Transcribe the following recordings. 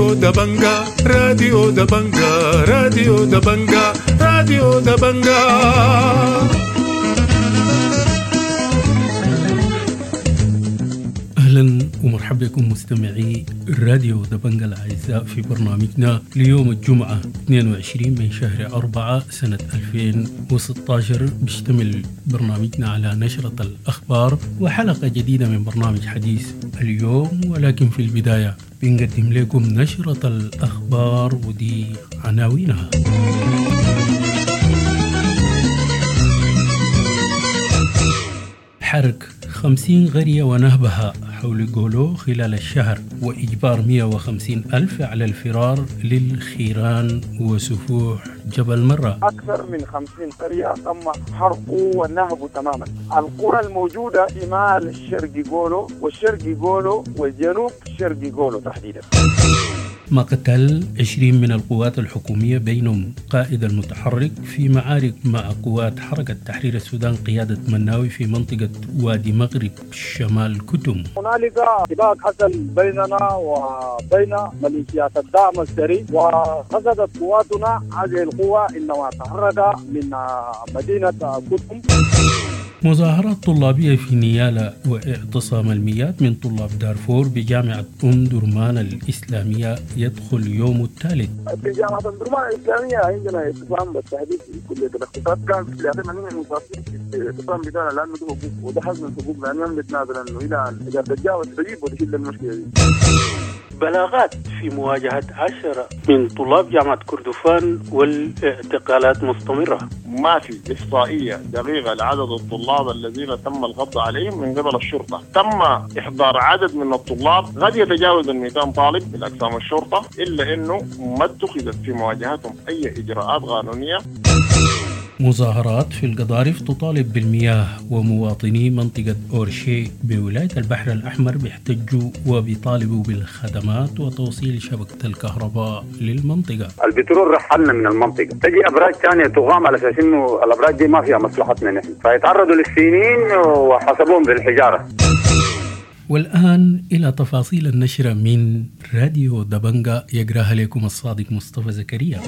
راديو دبنجا، راديو دبنجا، راديو دبنجا، راديو دبنجا. أهلا ومرحبا بكم مستمعي راديو دبنجا الأعزاء في برنامجنا ليوم الجمعة 22 من شهر 4 سنة 2016. بيشتمل برنامجنا على نشرة الأخبار وحلقة جديدة من برنامج حديث اليوم، ولكن في البداية بنقدم لكم نشرة الأخبار ودي عناوينها. حرق 50 قرية ونهبها حول جولو خلال الشهر وإجبار 150 ألف على الفرار للخيران وسفوح جبل مرة. أكثر من 50 قرية تم حرقه ونهبه تماما. القرى الموجودة شمال الشرق جولو والشرق جولو والجنوب شرق جولو تحديدا. مقتل 20 من القوات الحكومية بينهم قائد المتحرك في معارك مع قوات حركة تحرير السودان قيادة مناوي في منطقة وادي مغرب شمال كتم. هنالك اتفاق حصل بيننا وبين ميليشيات الدعم السري، وقصدت قواتنا هذه القوة إنما تحرك من مدينة كتم. مظاهرات طلابية في نيالا واعتصام المئات من طلاب دارفور بجامعة أم درمان الإسلامية يدخل يوم الثالث. في جامعة أم درمان الإسلامية عندنا اعتصام بالتحديد في كلية الاقتصاد، كان في 80 المصابين في الاعتصام بتاعنا لأنه ده حقوق وده حق من حقوقنا، لأنه بنتنازل أنه إلى أن إدارة الجامعة تستجيب وتحل المشكلة دي. بلاغات في مواجهة 10 من طلاب جامعة كردفان والاعتقالات مستمرة. ما في إحصائية دقيقة لعدد الطلاب الذين تم القبض عليهم من قبل الشرطة. تم إحضار عدد من الطلاب قد يتجاوز 200 طالب من أقسام الشرطة، إلا أنه ما اتخذت في مواجهتهم أي إجراءات قانونية. مظاهرات في القضارف تطالب بالمياه، ومواطني منطقة أورشي بولاية البحر الأحمر بيحتجوا وبيطالبوا بالخدمات وتوصيل شبكة الكهرباء للمنطقة. البترول رحلنا من المنطقة، تجي أبراج ثانية تقام على أساس إنه الأبراج دي ما فيها مصلحتنا نحن، فيتعرضوا للسنين وحسبوهم بالحجارة. والآن إلى تفاصيل النشرة من راديو دبنجا يقراها لكم الصادق مصطفى زكريا.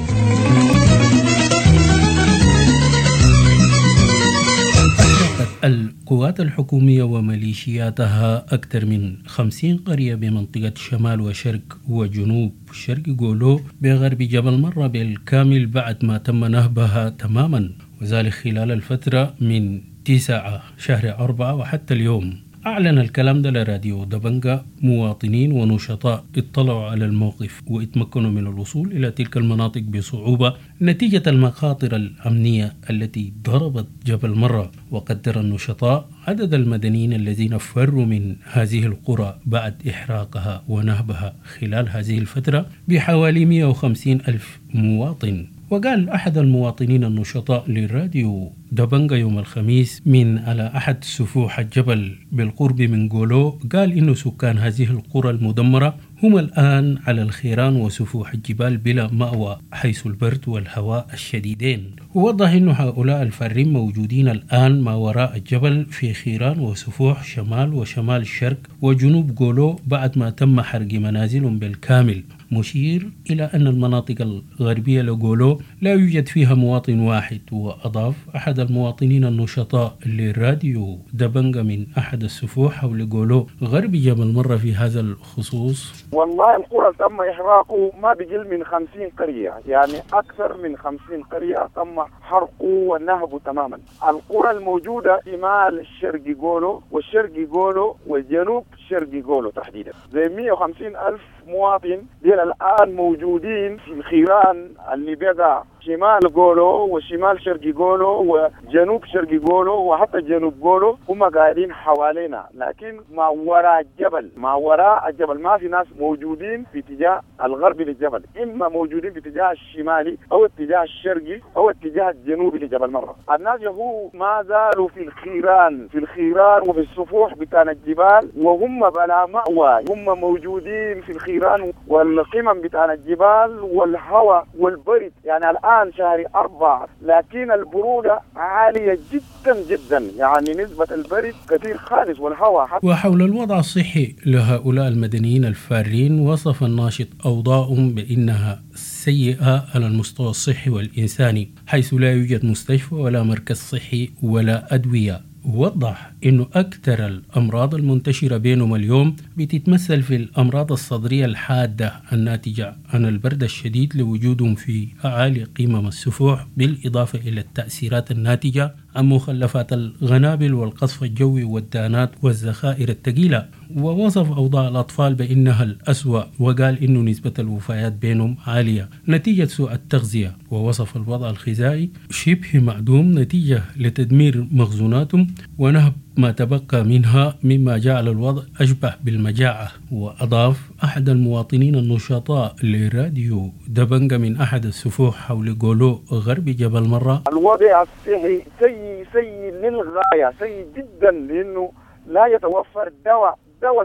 القوات الحكومية وميليشياتها أكثر من 50 قرية بمنطقة شمال وشرق وجنوب شرق جولو بغرب جبل مرة بالكامل بعد ما تم نهبها تماما، وذلك خلال الفترة من 9 شهر 4 وحتى اليوم. أعلن الكلام ده لراديو دبنجا مواطنين ونشطاء اطلعوا على الموقف واتمكنوا من الوصول إلى تلك المناطق بصعوبة نتيجة المخاطر الأمنية التي ضربت جبل مرة. وقدر النشطاء عدد المدنيين الذين فروا من هذه القرى بعد إحراقها ونهبها خلال هذه الفترة بحوالي 150 ألف مواطن. وقال أحد المواطنين النشطاء للراديو دبنجا يوم الخميس من على أحد سفوح الجبل بالقرب من جولو، قال إن سكان هذه القرى المدمرة هم الآن على الخيران وسفوح الجبال بلا مأوى حيث البرد والهواء الشديدين. ووضح أن هؤلاء الفارين موجودين الآن ما وراء الجبل في خيران وسفوح شمال وشمال الشرق وجنوب جولو بعد ما تم حرق منازلهم بالكامل، مشير إلى أن المناطق الغربية لجولو لا يوجد فيها مواطن واحد. وأضاف أحد المواطنين النشطاء للراديو دبنجا من أحد السفوح حول جولو غرب جبل مرة في هذا الخصوص: والله القرى تم إحراقه ما بقل من 50 قرية، يعني أكثر من 50 قرية تم حرقه ونهبه تماما. القرى الموجودة شمال الشرق جولو والشرق جولو والجنوب شرق جولو تحديدا، زي 150 ألف مواطن ديل الآن موجودين في الخيران اللي بقى شمال جولو وشمال شرق جولو وجنوب شرق جولو وحتى جنوب جولو، هم قاعدين حوالينا، لكن ما وراء الجبل، ما وراء الجبل ما في ناس موجودين في اتجاه الغربي للجبل، إما موجودين في اتجاه الشمالي أو اتجاه الشرقي أو اتجاه الجنوبي لجبل مرة. الناس هو ما زالوا في الخيران، في الخيران وفي السفوح بتاع الجبال، وهم بلا مأوى، هم موجودين في الخيران. الخيران والقمم بتاع الجبال والهواء والبرد. يعني الآن شهر 4 لكن البرودة عالية جدا جدا، يعني نسبة البرد كثير خالص والهواء حتى. وحول الوضع الصحي لهؤلاء المدنيين الفارين، وصف الناشط أوضاعهم بأنها سيئة على المستوى الصحي والإنساني، حيث لا يوجد مستشفى ولا مركز صحي ولا أدوية. وضح أنه أكثر الأمراض المنتشرة بينهم اليوم بتتمثل في الأمراض الصدرية الحادة الناتجة عن البرد الشديد لوجودهم في أعالي قمم السفوح، بالإضافة إلى التأثيرات الناتجة عن مخلفات الغنابل والقصف الجوي والدانات والذخائر الثقيلة. ووصف أوضاع الأطفال بأنها الأسوأ، وقال إنه نسبة الوفيات بينهم عالية نتيجة سوء التغذية. ووصف الوضع الغذائي شبه معدوم نتيجة لتدمير مخزوناتهم ونهب ما تبقى منها، مما جعل الوضع أشبه بالمجاعة. وأضاف أحد المواطنين النشطاء لراديو دبنجة من أحد السفوح حول جولو غرب جبل مرة: الوضع الصحي سيء سيء للغاية، سيء جدا، لأنه لا يتوفر دواء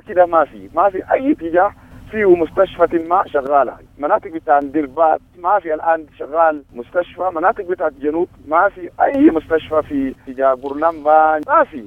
كده، ما في أي اتجاه فيه مستشفى ما شغالة. مناطق بتاع دربات ما في الآن شغال مستشفى، مناطق بتاع الجنوب ما في أي مستشفى، في اتجاه برلمبان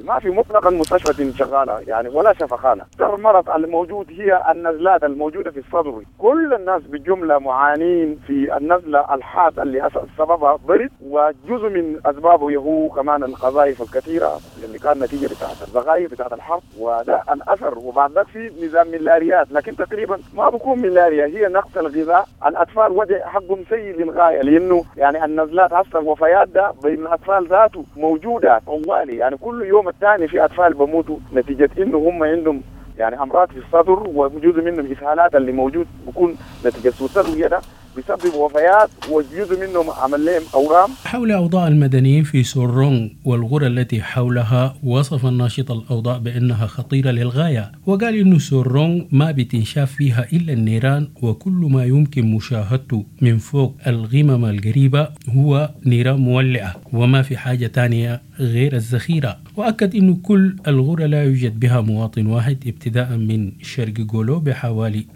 ما في مطلقا مستشفى شغالة يعني، ولا شفخانة. المرض الموجود هي النزلات الموجودة في الصدر، كل الناس بالجملة معانين في النزلة الحاد اللي سببها برد، وجزء من أسبابه هو كمان القذائف الكثيرة اللي كان نتيجة بتاعت الزغايف بتاعت الحرب، وده الأثر. وبعد ذلك في نظام ملاريات، لكن تقريبا ما بكون ملاريا، هي نقص الغذاء. الأطفال وضع حقهم سيء للغاية، لأنه يعني النزلات هسه الوفيات ده بين الأطفال ذاته موجودة طوالي، يعني كل يوم الثاني في أطفال بموتوا نتيجة إنه هم عندهم يعني أمراض في الصدر، وجزء منهم إسهالات اللي موجود بكون نتيجة سوء التغذية ده بيسبب وفيات، وجزء منهم عمل لهم أورام. حول أوضاع المدنيين في سورونغ والغرى التي حولها، وصف الناشط الأوضاع بأنها خطيرة للغاية، وقال إنه سورونغ ما بتنشاف فيها إلا النيران، وكل ما يمكن مشاهدته من فوق الغمم القريبة هو نيران مولعة، وما في حاجة تانية غير الذخيرة. وأكد إنه كل الغرى لا يوجد بها مواطن واحد، ابتداء من شرق جولو بحوالي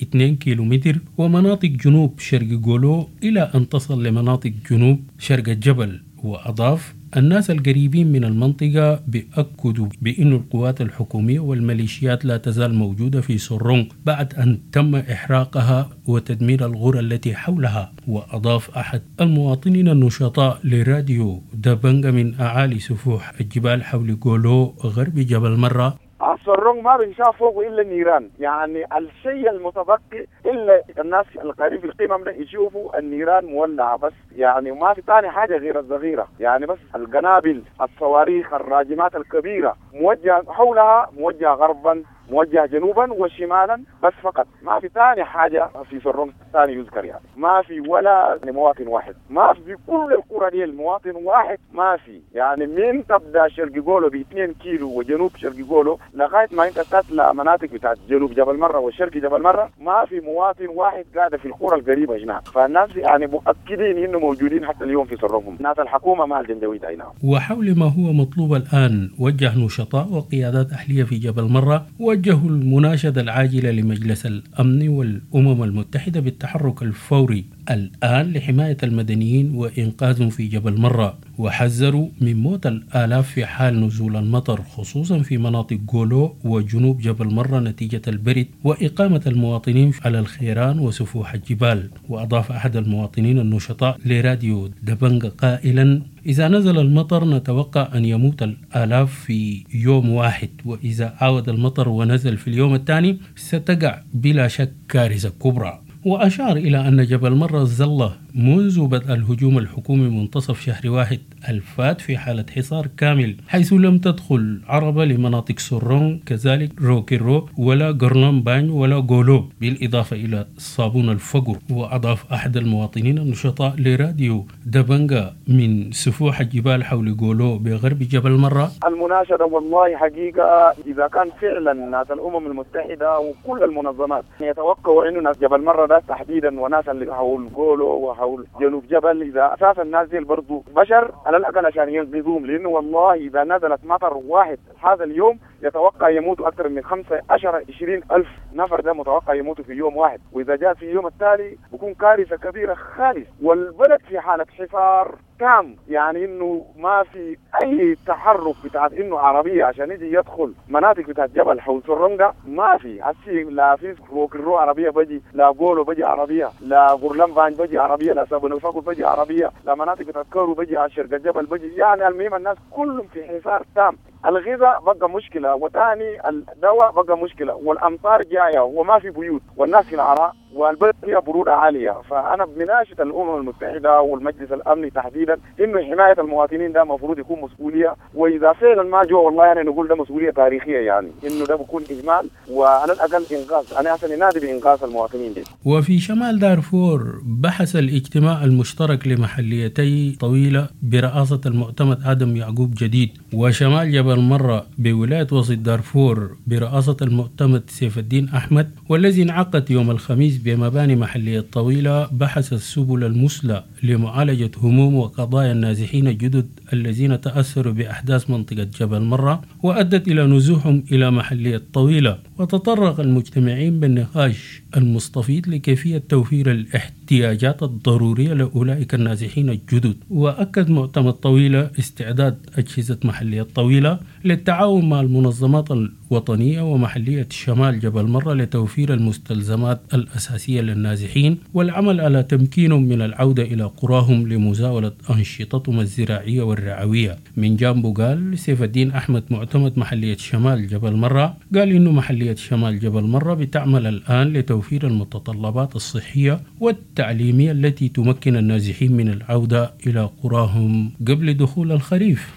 2 كيلومتر، ومناطق جنوب شرق جولو إلى أن تصل لمناطق جنوب شرق الجبل. وأضاف الناس القريبين من المنطقة بيأكدوا بأن القوات الحكومية والميليشيات لا تزال موجودة في سورونغ بعد أن تم إحراقها وتدمير الغرى التي حولها. وأضاف أحد المواطنين النشطاء لراديو دبنجة من أعالي سفوح الجبال حول جولو غرب جبل مرة: السرونج ما بنشاف فوقه الا النيران، يعني الشيء المتبقي الا الناس القريب في القمم ده يشوفوا النيران مولعه بس، يعني ما في ثاني حاجه غير الصغيره، يعني بس القنابل الصواريخ الراجمات الكبيره موجهه حولها، موجهه غربا موجه جنوبا وشمالا بس فقط، ما في ثاني حاجه في سرونج ثاني يذكر، يعني ما في ولا مواطن واحد، ما في كل القرى دي المواطن واحد ما في، يعني من تبدا شرق جولو ب 2 كيلو وجنوب شرق جولو لغايه ما انت تطلع مناطق بتاعت جنوب جبل مره والشرق جبل مره ما في مواطن واحد قاعد في القرى القريبه هناك. فالناس يعني مؤكدين انه موجودين حتى اليوم في سرونج، ناس الحكومه ما الجنجويد اي نعم. وحول ما هو مطلوب الان، وجه نشطاء وقيادات اهليه في جبل مره وجهوا المناشدة العاجلة لمجلس الأمن والأمم المتحدة بالتحرك الفوري الآن لحماية المدنيين وإنقاذهم في جبل مرة، وحذروا من موت الآلاف في حال نزول المطر، خصوصا في مناطق جولو وجنوب جبل مرة نتيجة البرد وإقامة المواطنين على الخيران وسفوح الجبال. وأضاف أحد المواطنين النشطاء لراديو دبنج قائلا: إذا نزل المطر نتوقع أن يموت الآلاف في يوم واحد، وإذا عاود المطر ونزل في اليوم الثاني ستقع بلا شك كارثة كبرى. وأشار إلى أن جبل مرة ظل منذ بدء الهجوم الحكومي منتصف شهر 1 الفات في حالة حصار كامل، حيث لم تدخل عربة لمناطق سورون، كذلك روكيرو ولا غرنان ولا غولو، بالإضافة إلى صابون الفقر. وأضاف أحد المواطنين النشطاء لراديو دبنجا من سفوح الجبال حول غولو بغرب جبل مرة: المناشدة والله حقيقة إذا كان فعلا ناس الأمم المتحدة وكل المنظمات يتوقعوا إنه ناس جبل مرة ده تحديدا وناس اللي حول غولو وحول جنوب جبل، إذا أساسا الناس دي برضو بشر على الأقل عشان ينقذوهم، لأنه والله إذا نزلت مطر واحد هذا اليوم يتوقع يموتوا اكثر من 5 10 20 الف نفر، ده متوقع يموتوا في يوم واحد، واذا جاء في اليوم التالي بكون كارثة كبيرة خالص. والبلد في حاله حصار تام، يعني انه ما في اي تحرك بتاعت انه عربية عشان يجي يدخل مناطق بتاعت جبل حول سرنجة ما في. هسي لا في روكرو عربية بجي، لا قولو بجي عربية، لا غرلمبان بجي عربية، لا سابون الفقر بجي عربية، لا مناطق بتاعت كورو بجي على شرق الجبل بجي. يعني المهم الناس كلهم في حصار تام. الغذاء بقى مشكلة، وثاني الدواء بقى مشكلة، والامطار جاية وما في بيوت، والناس في العراء، والبلد فيها برودة عالية. فانا بناشد الامم المتحدة والمجلس الامني تحديدا انه حماية المواطنين ده المفروض يكون مسؤولية، واذا فعلا ما جو والله يعني نقول ده مسؤولية تاريخية، يعني انه ده بيكون اهمال وعلى الاقل انقاذ. انا عشان ننادي بانقاذ المواطنين دي. وفي شمال دارفور بحث الاجتماع المشترك لمحليتي طويلة برئاسة المعتمد ادم يعقوب جديد، وشمال جبل مرة بولاية وسط دارفور برئاسة المعتمد سيف الدين احمد، والذي انعقد يوم الخميس بمباني محلية طويلة، بحث السبل المثلى لمعالجة هموم وقضايا النازحين الجدد الذين تأثروا بأحداث منطقة جبل مرة وأدت إلى نزوحهم إلى محلية طويلة. وتطرق المجتمعين بالنقاش المستفيض لكيفية توفير الاحتياجات الضرورية لأولئك النازحين الجدد. وأكد معتمد طويلة استعداد أجهزة محلية طويلة للتعاون مع المنظمات الوطنية ومحلية شمال جبل مرة لتوفير المستلزمات الأساسية للنازحين والعمل على تمكينهم من العودة إلى قراهم لمزاولة أنشطتهم الزراعية والرعوية. من جانبه قال سيف الدين أحمد معتمد محلية شمال جبل مرة، قال إنه محلية شمال جبل مرة بتعمل الآن لتوفير المتطلبات الصحية والتعليمية التي تمكن النازحين من العودة إلى قراهم قبل دخول الخريف.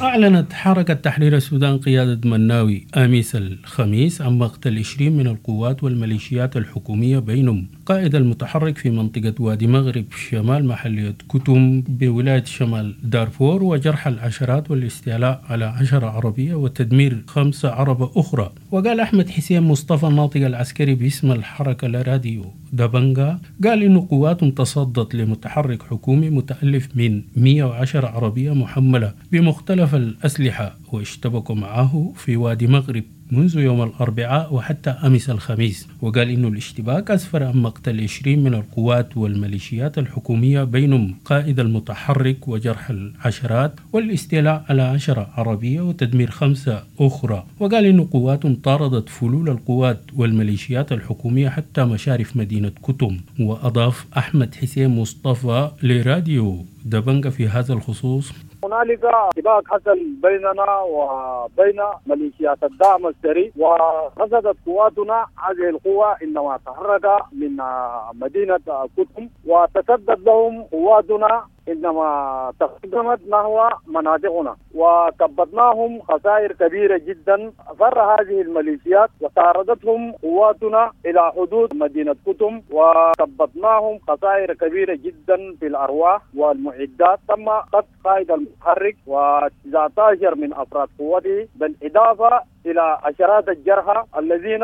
أعلنت حركة تحرير السودان قيادة مناوي أمس الخميس عن مقتل 20 من القوات والميليشيات الحكومية، بينهم قائد المتحرك في منطقة وادي مغرب شمال محلية كتم بولاية شمال دارفور، وجرح العشرات والاستيلاء على 10 عربية وتدمير 5 عربة أخرى. وقال أحمد حسين مصطفى الناطق العسكري باسم الحركة لراديو دبنجا، قال إن قوات تصدت لمتحرك حكومي متألف من 110 عربية محملة بمختلف الأسلحة واشتبكوا معه في وادي مغرب منذ يوم الأربعاء وحتى أمس الخميس. وقال إنه الاشتباك أسفر عن مقتل 20 من القوات والميليشيات الحكومية، بينهم قائد المتحرك وجرح العشرات والاستيلاء على 10 عربية وتدمير 5 أخرى. وقال إنه قوات طاردت فلول القوات والميليشيات الحكومية حتى مشارف مدينة كتم. وأضاف أحمد حسين مصطفى لراديو دبنجا في هذا الخصوص: هنالك اتفاق حصل بيننا وبين ميليشيات الدعم السري، ورصدت قواتنا هذه القوة عندما تحرك من مدينة كتم، وتصدت لهم قواتنا عندما تقدمت نحو مناطقنا، وكبدناهم خسائر كبيرة جدا. فر هذه الميليشيات وطاردتهم قواتنا إلى حدود مدينة كتم، وكبدناهم خسائر كبيرة جدا في الأرواح والمعدات. تم قتل قائد المتحرك و19 من أفراد قوته، بالإضافة إلى عشرات الجرحى الذين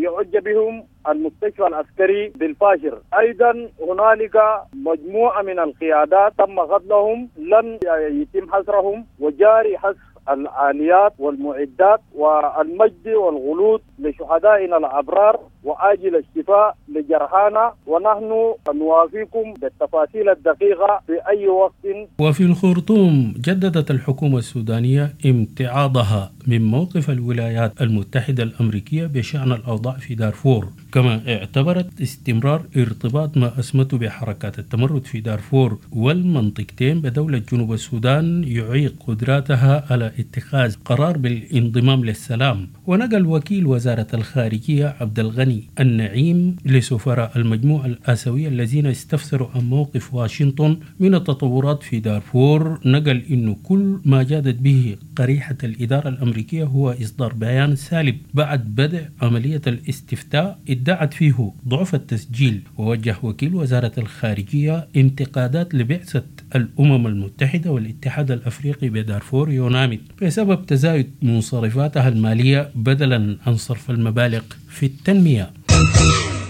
يعج بهم المستشفى العسكري بالفاشر. أيضا هنالك مجموعة من القيادات تم قتلهم، لن يتم حصرهم، وجاري حصر الآليات والمعدات والمجد والغلود لشهدائنا الأبرار وآجل الشفاء لجرحانا، ونحن نوافيكم بالتفاصيل الدقيقة في أي وقت. وفي الخرطوم جددت الحكومة السودانية امتعاضها من موقف الولايات المتحدة الأمريكية بشأن الأوضاع في دارفور، كما اعتبرت استمرار ارتباط ما أسمته بحركات التمرد في دارفور والمنطقتين بدولة جنوب السودان يعيق قدراتها على اتخاذ قرار بالانضمام للسلام. ونقل وكيل وزارة الخارجية عبد الغني النعيم لسفراء المجموعة الآسيوية الذين استفسروا عن موقف واشنطن من التطورات في دارفور، نقل إنه كل ما جادت به قريحة الإدارة الأمريكية هو إصدار بيان سالب بعد بدء عملية الاستفتاء ادعت فيه ضعف التسجيل. ووجه وكيل وزارة الخارجية انتقادات لبعثة الأمم المتحدة والاتحاد الأفريقي بدارفور يوناميد بسبب تزايد منصرفاتها المالية بدلا عن صرف المبالغ في التنمية.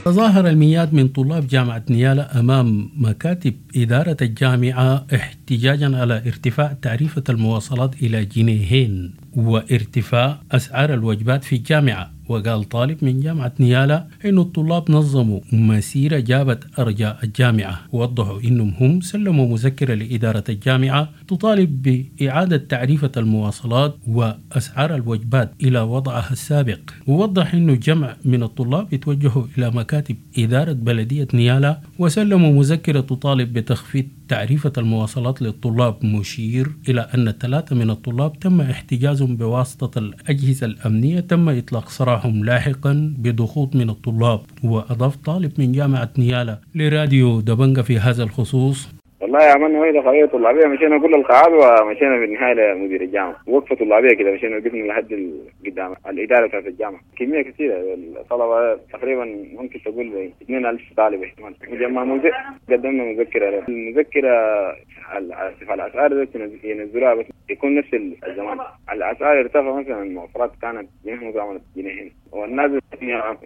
تظاهر المئات من طلاب جامعة نيالا أمام مكاتب إدارة الجامعة احتجاجا على ارتفاع تعريفة المواصلات إلى 2 جنيه. وارتفاع أسعار الوجبات في الجامعة. وقال طالب من جامعة نيالا إنه الطلاب نظموا مسيرة جابت أرجاء الجامعة، ووضحوا إنهم هم سلموا مذكرة لإدارة الجامعة تطالب بإعادة تعريفة المواصلات وأسعار الوجبات إلى وضعها السابق. ووضح إنه جمع من الطلاب يتوجهوا إلى مكاتب إدارة بلدية نيالا وسلموا مذكرة تطالب بتخفيض تعريفة المواصلات للطلاب، مشير إلى أن 3 من الطلاب تم احتجازهم بواسطة الأجهزة الأمنية، تم إطلاق سراحهم لاحقا بضغوط من الطلاب. وأضاف طالب من جامعة نيالا لراديو دبنجة في هذا الخصوص: والله عملنا وحدة قوية طلابية، مشينا كل القاعات ومشينا في النهاية لمدير الجامعة، وقفة طلابية كده مشينا وقفنا لحد قدام الإدارة بتاعت الجامعة. كمية كثيرة الطلبة تقريبا ممكن تقول 2000 طالب احتمال. قدمنا مذكرة له. المذكرة على ارتفاع الأسعار ينزلوها بس يكون نفس الزمان. الأسعار ارتفع مثلا المواصلات كانت جنيه عملت جنيهين، والناس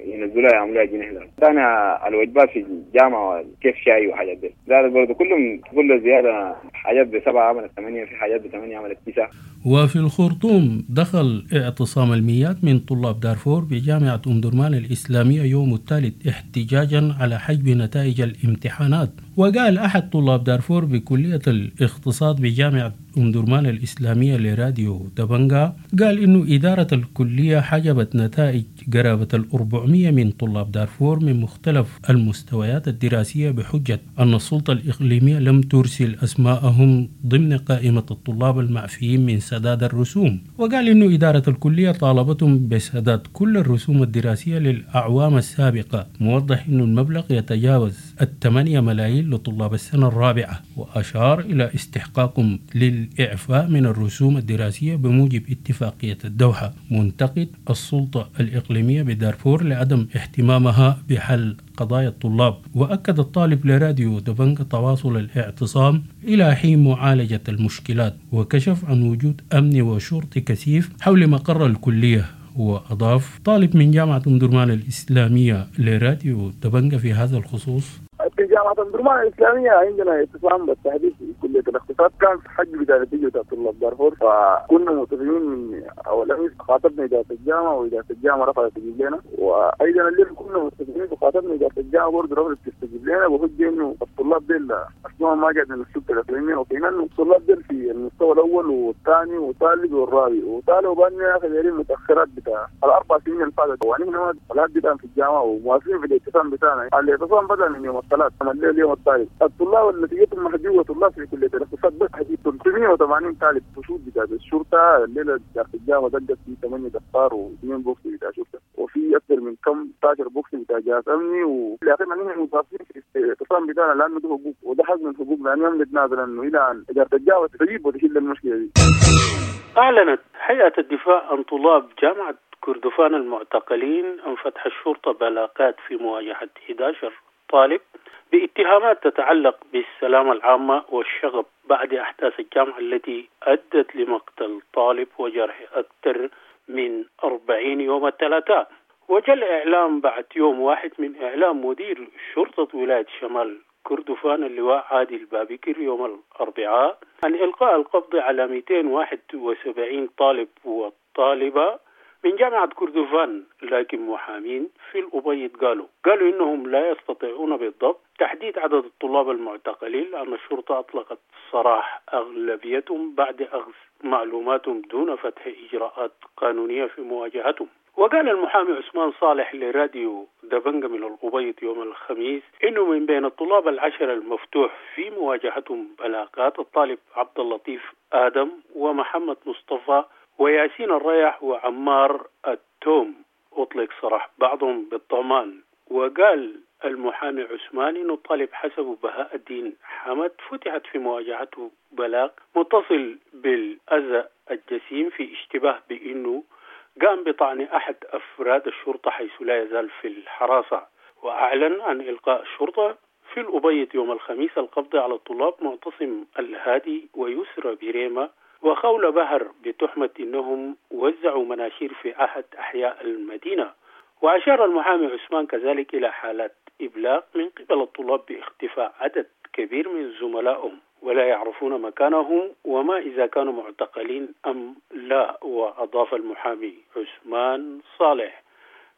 ينزلوها يعملوها جنيه. ثاني الوجبات في الجامعة كيف شاي وحاجات دي زادت برضه، كلهم كل زيادة حاجات ب7 عملت 8، في حاجات ب8 عملت 9. وفي الخرطوم دخل اعتصام الميات من طلاب دارفور بجامعة أم درمان الإسلامية يوم الثالث احتجاجا على حجب نتائج الامتحانات. وقال أحد طلاب دارفور بكلية الاقتصاد بجامعة أم درمان الإسلامية لراديو دبنجا، قال إنه إدارة الكلية حجبت نتائج قرابة 400 من طلاب دارفور من مختلف المستويات الدراسية بحجة أن السلطة الإقليمية لم ترسل أسماءهم ضمن قائمة الطلاب المعفيين من سداد الرسوم. وقال إنه إدارة الكلية طالبتهم بسداد كل الرسوم الدراسية للأعوام السابقة، موضح إنه المبلغ يتجاوز 8 ملايين لطلاب السنة الرابعة، وأشار إلى استحقاقهم للإعفاء من الرسوم الدراسية بموجب اتفاقية الدوحة، منتقد السلطة الإقليمية بدارفور لعدم اهتمامها بحل قضايا الطلاب. وأكد الطالب لراديو دبنج تواصل الاعتصام إلى حين معالجة المشكلات، وكشف عن وجود أمن وشرطي كثيف حول مقر الكلية. وأضاف طالب من جامعة أم درمان الإسلامية لراديو دبنج في هذا الخصوص: في جامعة أم درمان الإسلامية عندنا اعتصام بالتحديد في كلية الاقتصاد، كان في حج بداية نتيجة طلاب دارفور، فكنا متفقين من أول أمس خاطبنا إدارة الجامعة وإدارة الجامعة رفضت تستجيب لنا، وأيضا الليل كنا متفقين وخاطبنا إدارة الجامعة برضه رفضت تستجيب لنا، بحجة إنه الطلاب ديل أسمائهم ما جت من السلطة الإقليمية، وفينا إنه الطلاب ديل في المستوى الأول والثاني والثالث والرابع، وطالبوا بأن يا متأخرات بتاع ال4 سنين اللي فاتت، ونحن لحد الآن في الجامعة ومواصلين في الاعتصام بتاعنا. الاعتصام بدأ من يوم الثلاث اليوم الثالث. الطلاب اللي نتيجتهم محجوبة طلاب في كلية الاقتصاد بس 380 طالب فشود بتاع الشرطة الليلة بتاعت الجامعة دقت في 8 دفار و2 بوكس بتاع شرطة، وفي أكثر من كم 16 بوكس بتاع جهاز أمني. والأخير نحن متواصلين في الاعتصام بتاعنا لأنه ده حقوق وده حق من حقوقنا، لأنه نتنازل إنه إلى أن إدارة الجامعة تجيب وتحل المشكلة دي. أعلنت هيئة الدفاع عن طلاب جامعة كردفان المعتقلين عن فتح الشرطة بلاغات في مواجهة 11 طالب باتهامات تتعلق بالسلامة العامة والشغب بعد أحداث الجامعة التي أدت لمقتل طالب وجرح أكثر من 40 يوم الثلاثاء. وجاء الإعلام بعد يوم واحد من إعلام مدير شرطة ولاية شمال كردفان اللواء عادل بابكر يوم الأربعاء عن إلقاء القبض على 271 طالب وطالبة من جامعة كردفان، لكن محامين في الأبيض قالوا إنهم لا يستطيعون بالضبط تحديد عدد الطلاب المعتقلين لأن الشرطة أطلقت سراح أغلبيتهم بعد أخذ معلوماتهم دون فتح إجراءات قانونية في مواجهتهم. وقال المحامي عثمان صالح لراديو دبنجة من الأبيض يوم الخميس إنه من بين الطلاب 10 المفتوح في مواجهتهم بلاغات الطالب عبد اللطيف آدم ومحمد مصطفى وياسين الريح وعمار التوم أطلق سراح بعضهم بالضمان. وقال المحامي عثمان إنه الطالب حسب بهاء الدين حمد فتحت في مواجهته بلاغ متصل بالأذى الجسيم في اشتباه بأنه قام بطعن أحد أفراد الشرطة حيث لا يزال في الحراسة. وأعلن عن إلقاء الشرطة في الأبيض يوم الخميس القبض على الطلاب معتصم الهادي ويسرى بريمة وخول بهر بتهمة أنهم وزعوا مناشير في أحد أحياء المدينة. وأشار المحامي عثمان كذلك إلى حالات إبلاغ من قبل الطلاب باختفاء عدد كبير من زملائهم. ولا يعرفون مكانهم وما إذا كانوا معتقلين أم لا. وأضاف المحامي عثمان صالح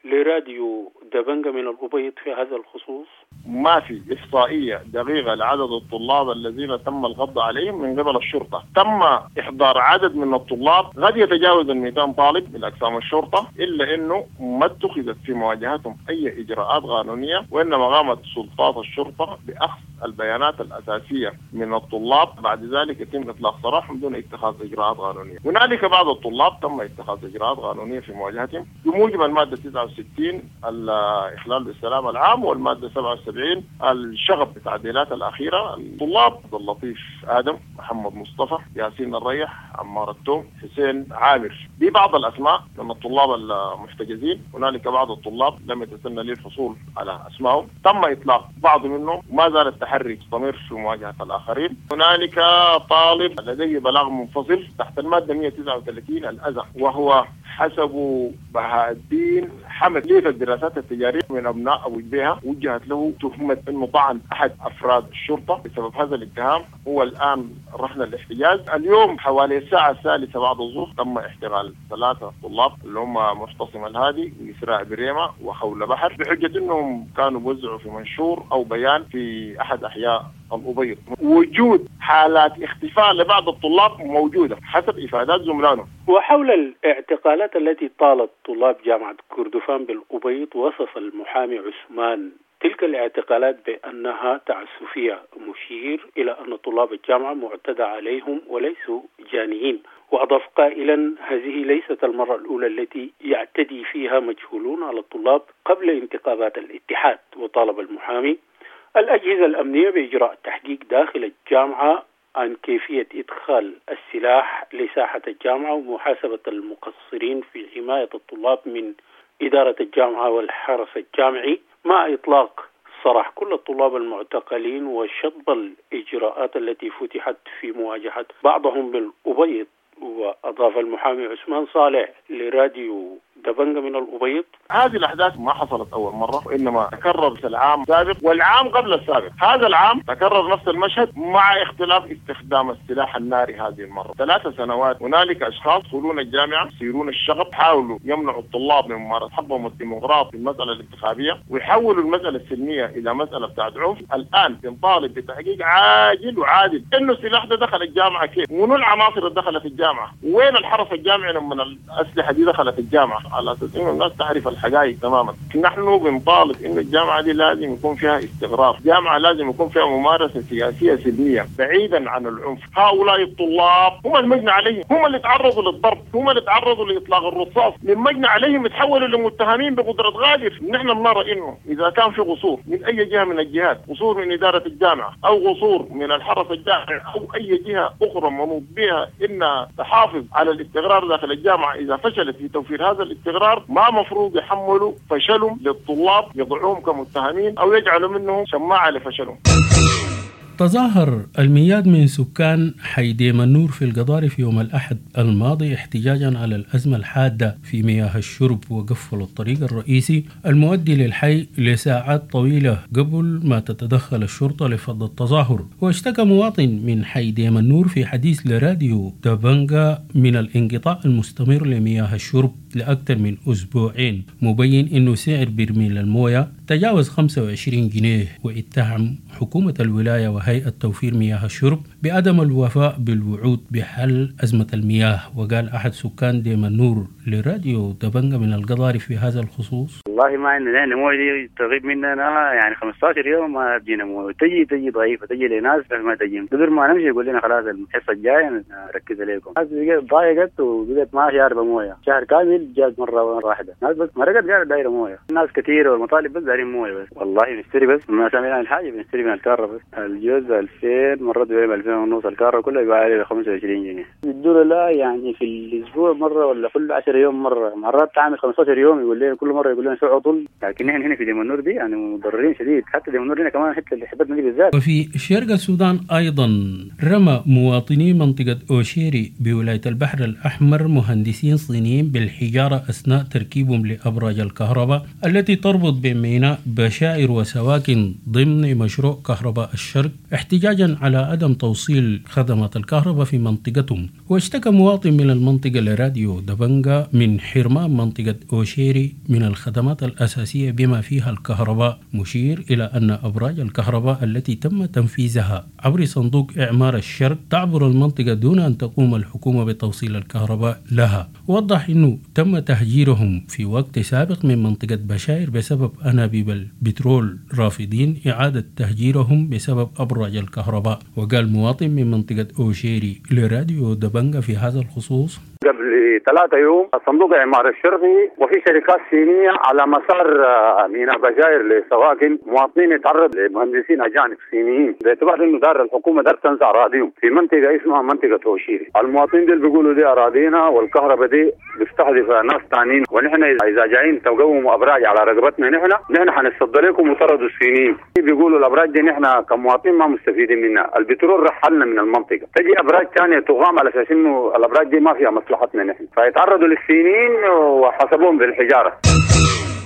لراديو دبنجة من الأبيض في هذا الخصوص: ما في إحصائية دقيقة لعدد الطلاب الذين تم القبض عليهم من قبل الشرطة. تم إحضار عدد من الطلاب قد يتجاوز 200 طالب من أقسام الشرطة، إلا أنه ما اتخذت في مواجهتهم أي إجراءات قانونية، وإنما قامت سلطات الشرطة بأخذ البيانات الأساسية من الطلاب، بعد ذلك يتم إطلاق سراحهم دون اتخاذ إجراءات قانونية. هنالك بعض الطلاب تم اتخاذ إجراءات قانونية في مواجهتهم بموجب المادة 69 الإخلال بالسلام العام، والمادة 77 الشغب بالتعديلات الأخيرة. الطلاب عبد اللطيف آدم، محمد مصطفى، ياسين الريح، عمار التوم، حسين عامر، دي بعض الأسماء من الطلاب المحتجزين. هنالك بعض الطلاب لم يتسنى لي الحصول على أسمائهم، تم إطلاق بعض منهم، وما زال التحري مستمر في مواجهة الآخرين. هنالك طالب لديه بلاغ منفصل تحت المادة 139 الأذى، وهو حسب بهاء الدين حمد ليه الدراسات التجارية من أبناء أبو جبيهة، وجهت له تهمة أنه طعن أحد أفراد الشرطة. بسبب هذا الاتهام هو الآن رهن الاحتجاز. اليوم حوالي الساعة 3 بعد الظهر تم احتقال 3 طلاب اللي هم معتصم الهادي وإسراء بريمة وخولة بحر، بحجة أنهم كانوا بوزعوا في منشور أو بيان في أحد أحياء الأبيض. وجود حالات اختفاء لبعض الطلاب موجودة حسب إفادات زملائهم. وحول الاعتقالات التي طالت طلاب جامعة كردفان بالأبيض، وصف المحامي عثمان تلك الاعتقالات بأنها تعسفية، مشير إلى أن طلاب الجامعة معتدى عليهم وليسوا جانيين. وأضاف قائلا: هذه ليست المرة الأولى التي يعتدي فيها مجهولون على الطلاب قبل انتخابات الاتحاد. وطالب المحامي الأجهزة الأمنية بإجراء تحقيق داخل الجامعة عن كيفية إدخال السلاح لساحة الجامعة ومحاسبة المقصرين في حماية الطلاب من إدارة الجامعة والحرس الجامعي، مع إطلاق سراح كل الطلاب المعتقلين وشطب الإجراءات التي فتحت في مواجهة بعضهم بالأبيض. وأضاف المحامي عثمان صالح لراديو دبنجة من الأبيض: هذه الأحداث ما حصلت أول مرة، وإنما تكررت العام السابق والعام قبل السابق. هذا العام تكرر نفس المشهد مع اختلاف استخدام السلاح الناري هذه المرة. 3 سنوات هنالك أشخاص يدخلون الجامعة، يثيرون الشغب، حاولوا يمنعوا الطلاب من ممارسة حقهم الديمقراطي في المسألة الانتخابية، ويحولوا المسألة السلمية إلى مسألة بتاعت عنف. الآن بنطالب بتحقيق عاجل وعادل إنه السلاح ده دخل الجامعة كيف، ومنو العناصر اللي دخلت الجامعة، وين الحرس الجامعي لما الأسلحة دي دخلت الجامعة، على أساس إنه الناس تعرف الحقائق تماما. نحن بنطالب إنه الجامعة دي لازم يكون فيها استقرار، الجامعة لازم يكون فيها ممارسة سياسية سلمية بعيدا عن العنف. هؤلاء الطلاب هم المجني عليهم، هم اللي تعرضوا للضرب، هم اللي تعرضوا لإطلاق الرصاص، من مجني عليهم يتحولوا لمتهمين بقدرة غالب. نحن بنرى إنه إذا كان في قصور من أي جهة من الجهات، قصور من إدارة الجامعة أو قصور من الحرس الجامعي أو أي جهة أخرى منوط بها إنها تحافظ على الاستقرار داخل الجامعة، إذا فشلت في توفير هذا الاستقرار ما مفروض يحملوا فشلهم للطلاب، يضعوهم كمتهمين أو يجعلوا منهم شماعة لفشلهم. تظاهر المئات من سكان حي ديم النور في القضارف يوم الأحد الماضي احتجاجا على الأزمة الحادة في مياه الشرب، وقفلوا الطريق الرئيسي المؤدي للحي لساعات طويلة قبل ما تتدخل الشرطة لفض التظاهر. واشتكى مواطن من حي ديم النور في حديث لراديو دبنجا من الانقطاع المستمر لمياه الشرب لأكثر من أسبوعين، مبين أنه سعر برميل الموية تجاوز 25 جنيه، واتهم حكومة الولاية وهيئة توفير مياه الشرب بعدم الوفاء بالوعود بحل أزمة المياه. وقال أحد سكان ديم النور لراديو دبنجا من القضارف في هذا الخصوص: والله ما عندنا موية دي تغيب مننا يعني 15 يوم ما تجينا موية، تجي ضعيفة، تجي لناس ما تجي، قدر ما نمشي يقول لنا خلاص الحصة الجاية نركز عليكم. الناس ضايقت وبقت ما شاربة موية شهر كامل، جات مرة واحدة الناس بس مرقت قاعدة دايرة موية، الناس كثيرة والمطالب بس دايرين موية بس. والله نشتري بس ما سامعين عن الحاجة، بنشتري من الكارة بس. الجوز 2000 مرات بيبيع 2000 ونص، الكارة كلها يبيع عليه 25 جنيه. يدونا لا يعني في الأسبوع مرة ولا كل 10 يوم مرة، مرات تعمل 15 يوم يقول لنا كل مرة يقول لنا شو عطل. لكن نحن هنا في ديم النور دي يعني متضررين شديد، حتى ديم النور هنا كمان حتى اللي حبتنا دي بالذات. وفي شرق السودان أيضا رمى مواطني منطقة أوشيري بولاية البحر الأحمر مهندسين صينيين بالحجارة أثناء تركيبهم لأبراج الكهرباء التي تربط بين ميناء بشائر وسواكن ضمن مشروع كهرباء الشرق، احتجاجا على عدم توصيل توصيل خدمات الكهرباء في منطقتهم. واشتكى مواطن من المنطقة لراديو دبنجا من حرمان منطقة أوشيري من الخدمات الأساسية بما فيها الكهرباء، مشير إلى أن أبراج الكهرباء التي تم تنفيذها عبر صندوق إعمار الشرق تعبر المنطقة دون أن تقوم الحكومة بتوصيل الكهرباء لها. وضح أنه تم تهجيرهم في وقت سابق من منطقة بشاير بسبب أنابيب البترول، رافضين إعادة تهجيرهم بسبب أبراج الكهرباء. وقال مواطن من منطقة أوشيري لراديو دبنجا في هذا الخصوص: قبل 3 يوم صندوق إعمار الشرقي وفي شركات صينية على مسار ميناء بشاير لسواكن مواطنين يتعرض لمهندسين أجانب صينيين باعتبار إنه دار الحكومة دار تنزع أراضيهم في منطقة اسمها منطقة أوشيري. المواطنين دي بيقولوا دي أراضينا والكهرباء دي بيستهدف ناس ثانيين، ونحن إذا جايين تقوموا أبراج على رقبتنا نحن حنتصدى لكم وطردوا الصينيين. بيقولوا الأبراج دي نحن كمواطنين ما مستفيدين منها، البترول رحلنا من المنطقة، تجي أبراج ثانية تقام على أساس إنه الأبراج دي ما فيها مصلحتنا نحن، فيتعرضوا للصينيين وحسبوهم بالحجارة.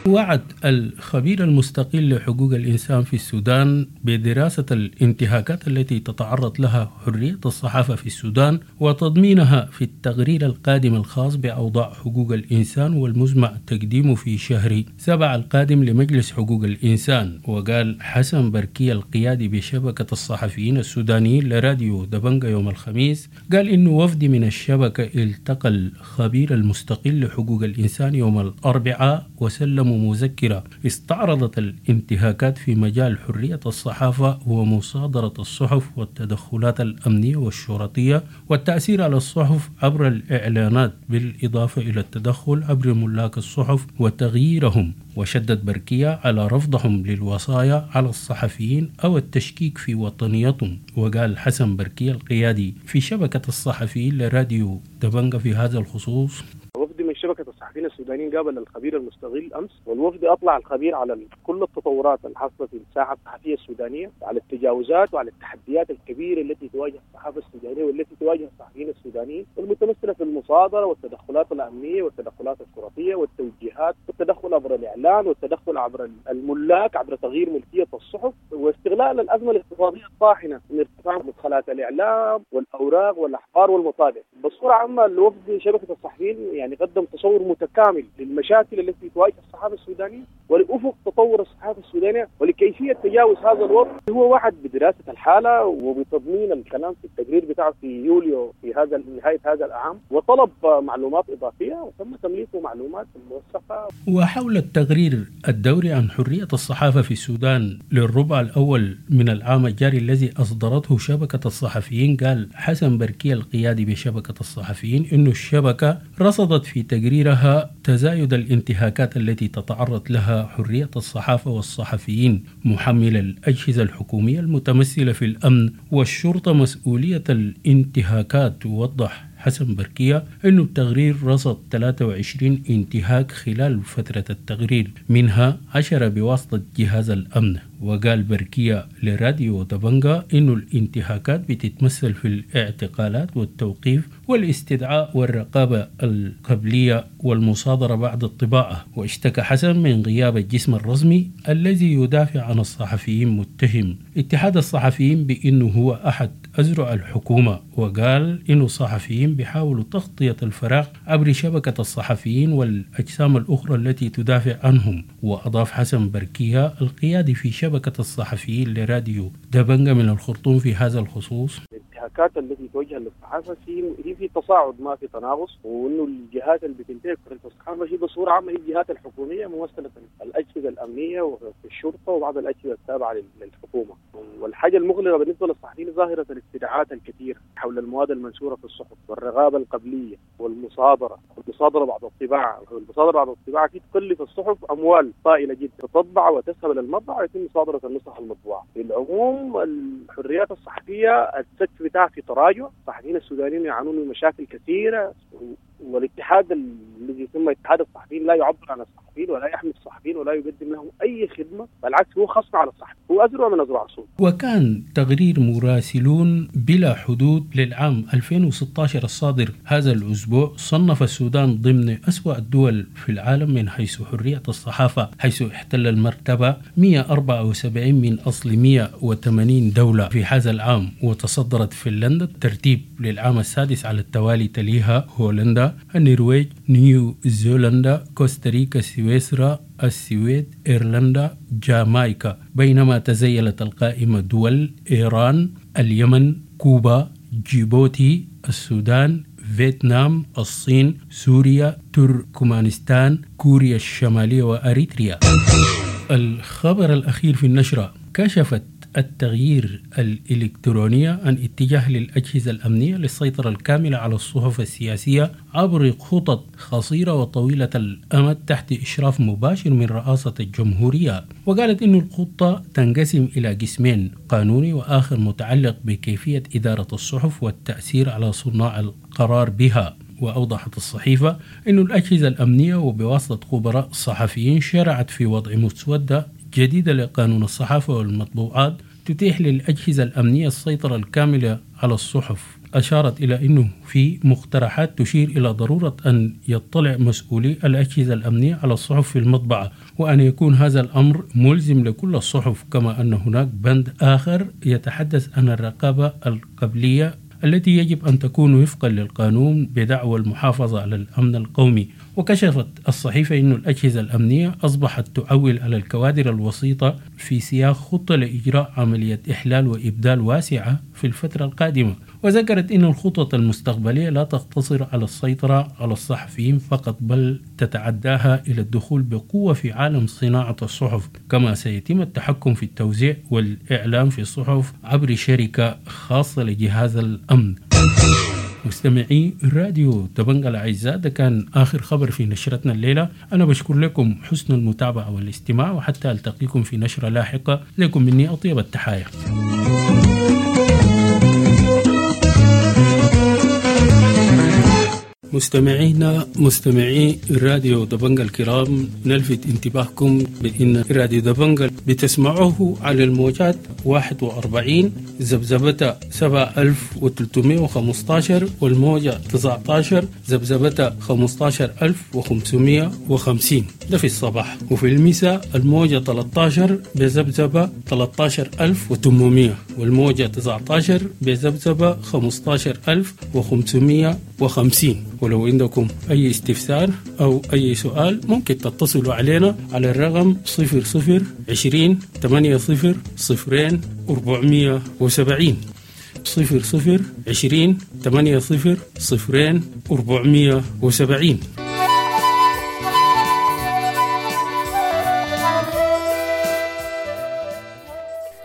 وعد الخبير المستقل لحقوق الإنسان في السودان بدراسة الانتهاكات التي تتعرض لها حرية الصحافة في السودان وتضمينها في التقرير القادم الخاص بأوضاع حقوق الإنسان والمزمع تقديمه في شهر 7 القادم لمجلس حقوق الإنسان. وقال حسن بركي القيادي بشبكة الصحفيين السودانيين لراديو دبنجا يوم الخميس، قال إنه وفد من الشبكة التقى الخبير المستقل لحقوق الإنسان يوم الأربعاء وسلموا مذكرة استعرضت الانتهاكات في مجال حرية الصحافة ومصادرة الصحف والتدخلات الأمنية والشرطية والتأثير على الصحف عبر الإعلانات، بالإضافة إلى التدخل عبر ملاك الصحف وتغييرهم. وشدد بركية على رفضهم للوصايا على الصحفيين أو التشكيك في وطنيتهم. وقال حسن بركية القيادي في شبكة الصحفيين لراديو دبنجا في هذا الخصوص: وفد من شبكة الصحفيين السودانيين قابل الخبير المستقل أمس، والوفد أطلع الخبير على كل التطورات الحاصلة في الساحة الصحفية السودانية، على التجاوزات وعلى التحديات الكبيرة التي تواجه الصحافة السودانية والتي تواجه الصحفيين السودانيين، والمتمثلة في المصادرة والتدخلات الأمنية والتدخلات الشرطية والتوجيهات والتدخل عبر الإعلان والتدخل عبر الملاك عبر تغيير ملكية الصحف واستغلال الأزمة الاقتصادية الطاحنة من ارتفاع مدخلات الإعلام والأوراق والأحبار والمطابع. بصورة عامة الوفد شبكة الصحفيين يعني قدم تصور متكامل للمشاكل التي تواجه الصحافة السودانية ولأفق تطور الصحافة السودانية ولكيفية تجاوز هذا الوضع. هو وعد بدراسة الحالة وبتضمين الكلام في التقرير بتاعه في يوليو في هذا نهاية هذا العام، وطلب معلومات إضافية وتم تمليكه معلومات موثقة. وحول التقرير الدوري عن حرية الصحافة في السودان للربع الأول من العام الجاري الذي أصدرته شبكة الصحفيين، قال حسن بركي القيادي بشبكة الصحفيين إنه الشبكة رصدت في تقريرها تزايد الانتهاكات التي تتعرض لها حرية الصحافة والصحفيين، محمل الأجهزة الحكومية المتمثلة في الأمن والشرطة مسؤولية الانتهاكات. ووضح حسن بركية أنه التقرير رصد 23 انتهاك خلال فترة التقرير، منها 10 بواسطة جهاز الأمن. وقال بركية لراديو دبنجا أنه الانتهاكات بتتمثل في الاعتقالات والتوقيف والاستدعاء والرقابة القبلية والمصادرة بعد الطباعة. واشتكى حسن من غياب الجسم الرسمي الذي يدافع عن الصحفيين، متهم اتحاد الصحفيين بأنه هو أحد أزرع الحكومة. وقال إنه الصحفيين بيحاولوا تغطية الفراغ عبر شبكة الصحفيين والأجسام الأخرى التي تدافع عنهم. وأضاف حسن بركية القيادي في شبكة الصحفيين لراديو دبنجا من الخرطوم في هذا الخصوص: الانتهاكات التي توجه للصحافة في تصاعد ما في تناقص، وانه الجهات اللي بتنتهك حرية الصحافة هي بصورة عامة هي الجهات الحكومية ممثلة الاجهزة الامنية والشرطة وبعض الاجهزة التابعة للحكومة. والحاجة المغلقة بالنسبة للصحفيين ظاهره الاستدعاءات الكثيرة حول المواد المنشورة في الصحف والرغابه القبلية والمصادره، المصادرة بعد الطباعة، والمصادره بعد الطباعة تكلف الصحف اموال طائلة جدا، تطبع وتذهب الى المطبع ويتم مصادره النسخ المطبوعة. في العموم الحريات الصحفية السقف بتاعها في تراجع، الصحفيين السودانيين يعانون من مشاكل كثيرة، والاتحاد الذي يسمى اتحاد الصحفيين لا يعبر عن الصحفيين ولا يحمي الصحفيين ولا يقدم لهم اي خدمة، بالعكس هو خصم على الصحفي، هو أسرع من أسرع الصوت. وكان تقرير مراسلون بلا حدود للعام 2016 الصادر هذا الأسبوع صنف السودان ضمن أسوأ الدول في العالم من حيث حرية الصحافة، حيث احتل المرتبة 174 من أصل 180 دولة في هذا العام. وتصدرت فنلندا الترتيب للعام السادس على التوالي، تليها هولندا، النرويج، نيوزيلندا، كوستاريكا، سويسرا، السويد، إيرلندا، جامايكا. بينما تزيلت القائمة دول إيران، اليمن، كوبا، جيبوتي، السودان، فيتنام، الصين، سوريا، تركمانستان، كوريا الشمالية وأريتريا. الخبر الأخير في النشرة: كشفت التغيير الإلكترونية عن اتجاه للأجهزة الأمنية للسيطرة الكاملة على الصحف السياسية عبر خطط قصيرة وطويلة الأمد تحت إشراف مباشر من رئاسة الجمهورية. وقالت إن الخطة تنقسم إلى قسمين، قانوني وآخر متعلق بكيفية إدارة الصحف والتأثير على صناع القرار بها. وأوضحت الصحيفة أن الأجهزة الأمنية وبواسطة خبراء صحفيين شرعت في وضع مسودة جديدة لقانون الصحافة والمطبوعات تتيح للأجهزة الأمنية السيطرة الكاملة على الصحف. أشارت إلى أنه في مقترحات تشير إلى ضرورة أن يطلع مسؤولي الأجهزة الأمنية على الصحف في المطبعة، وأن يكون هذا الأمر ملزم لكل الصحف. كما أن هناك بند آخر يتحدث عن الرقابة القبلية التي يجب أن تكون وفقا للقانون بدعوى المحافظة على الأمن القومي. وكشفت الصحيفة أن الأجهزة الأمنية أصبحت تعول على الكوادر الوسيطة في سياق خطة لإجراء عملية إحلال وإبدال واسعة في الفترة القادمة. وذكرت أن الخطط المستقبلية لا تقتصر على السيطرة على الصحفيين فقط، بل تتعداها إلى الدخول بقوة في عالم صناعة الصحف، كما سيتم التحكم في التوزيع والإعلام في الصحف عبر شركة خاصة لجهاز الأمن. مستمعي راديو دبنجا الأعزاء، ده كان آخر خبر في نشرتنا الليلة. أنا بشكر لكم حسن المتابعة والاستماع، وحتى ألتقيكم في نشرة لاحقة. لكم مني أطيب التحايا. مستمعينا مستمعي راديو دبنجا الكرام، نلفت انتباهكم بأن راديو دبنجا بتسمعوه على الموجات 41 ذبذبة 7315 والموجة 19 ذبذبة 15550، ده في الصباح. وفي المساء الموجة 13 بذبذبة 13800 والموجة 19 بذبذبة 15550. ولو عندكم أي استفسار أو أي سؤال ممكن تتصلوا علينا على الرقم 00 20 80 0 470، 00 20 80 0 470.